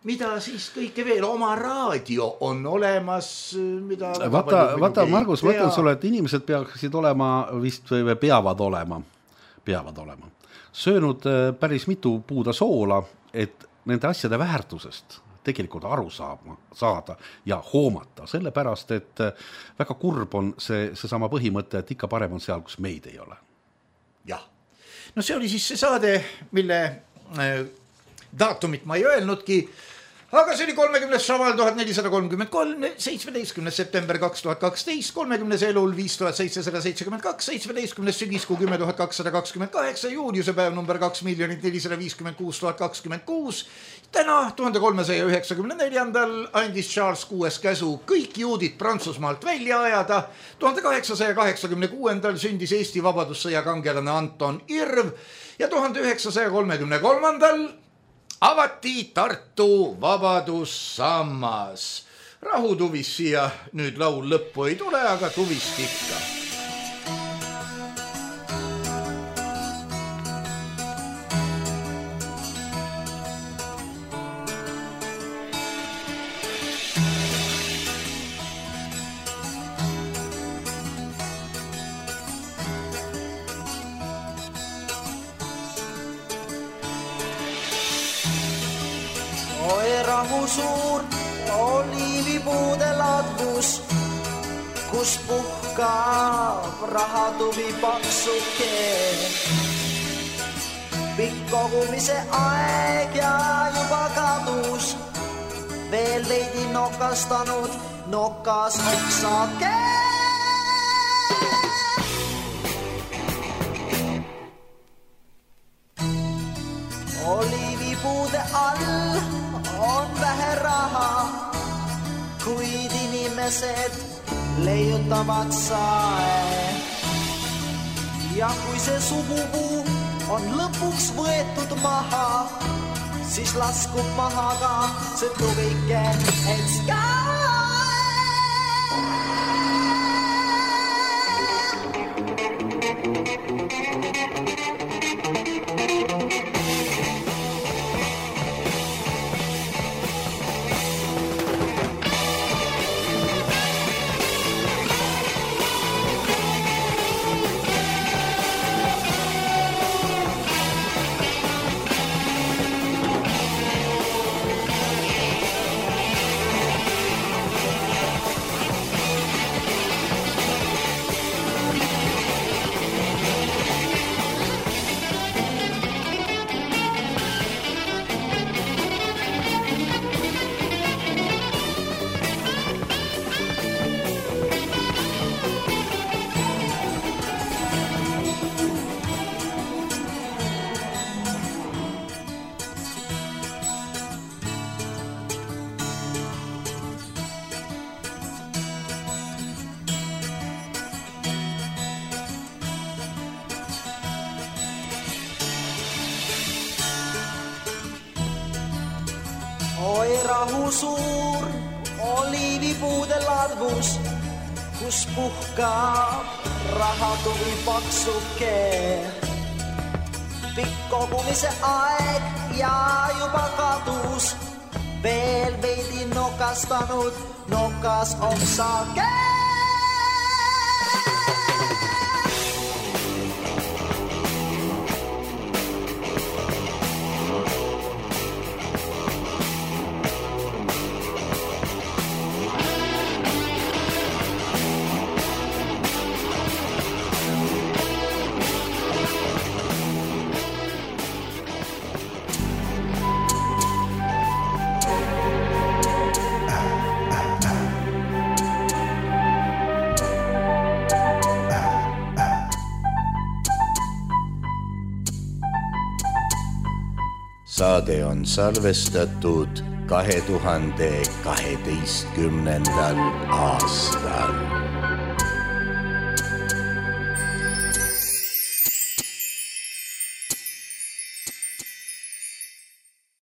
Speaker 3: Mida siis kõike veel, oma raadio on olemas, mida...
Speaker 4: Vaata, vaata Margus, ma ütlen sulle, et inimesed peaksid olema vist või peavad olema, peavad olema, söönud päris mitu puuda soola, et nende asjade väärtusest tegelikult aru saama, saada ja hoomata, sellepärast, et väga kurb on see, see sama põhimõte, et ikka parem on seal, kus meid ei ole.
Speaker 3: Jah, no see oli siis see saade, mille äh, daatumit ma ei öelnudki, aga see oli kolmekümnes Šaval tuhat nelisada kolmkümmend kolm, seitsmeteistkümnes september kaks tuhat kaksteist, kolmekümnes elul viis tuhat seitsesada seitsekümmend kaks, seitsmeteistkümnes sügiskuu kümme tuhat kakssada kakskümmend kaheksa, juuniuse päev number kaks miljonit nelisada viiskümmend kuus tuhat kakskümmend kuus. Täna tuhande kolmesaja üheksakümne neljandal andis Charles kuues käsu kõik juudid Prantsusmaalt välja ajada. tuhande kaheksasaja kaheksakümne kuuendal sündis Eesti vabadussõja kangelane Anton Irv ja tuhande üheksasaja kolmekümne kolmandal avati Tartu vabadussammas. Rahutuvis siia nüüd laul lõppu ei tule, aga tuvist ikka.
Speaker 5: Suur oliivipuude ladvus, kus puhkab rahatuvi paksuke. pikk kogumise aeg ja juba kadus. Veel veidi nokastanud, nokas oksake. Oliivipuude all on vähe raha, kuid inimesed leiutavad sae. Ja kui see sugupuu on lõpuks võetud maha, siis laskub maha ka see tuvike enska. Oi rahu suur oliivipuude ladvus, kus puhkab rahatuvi paksuke. Pikk kogumise aeg ja juba kadus, veel veidi nokastanud, nokas oksake.
Speaker 2: Saade on salvestatud kahe tuhande kaheteistkümnendal aastal.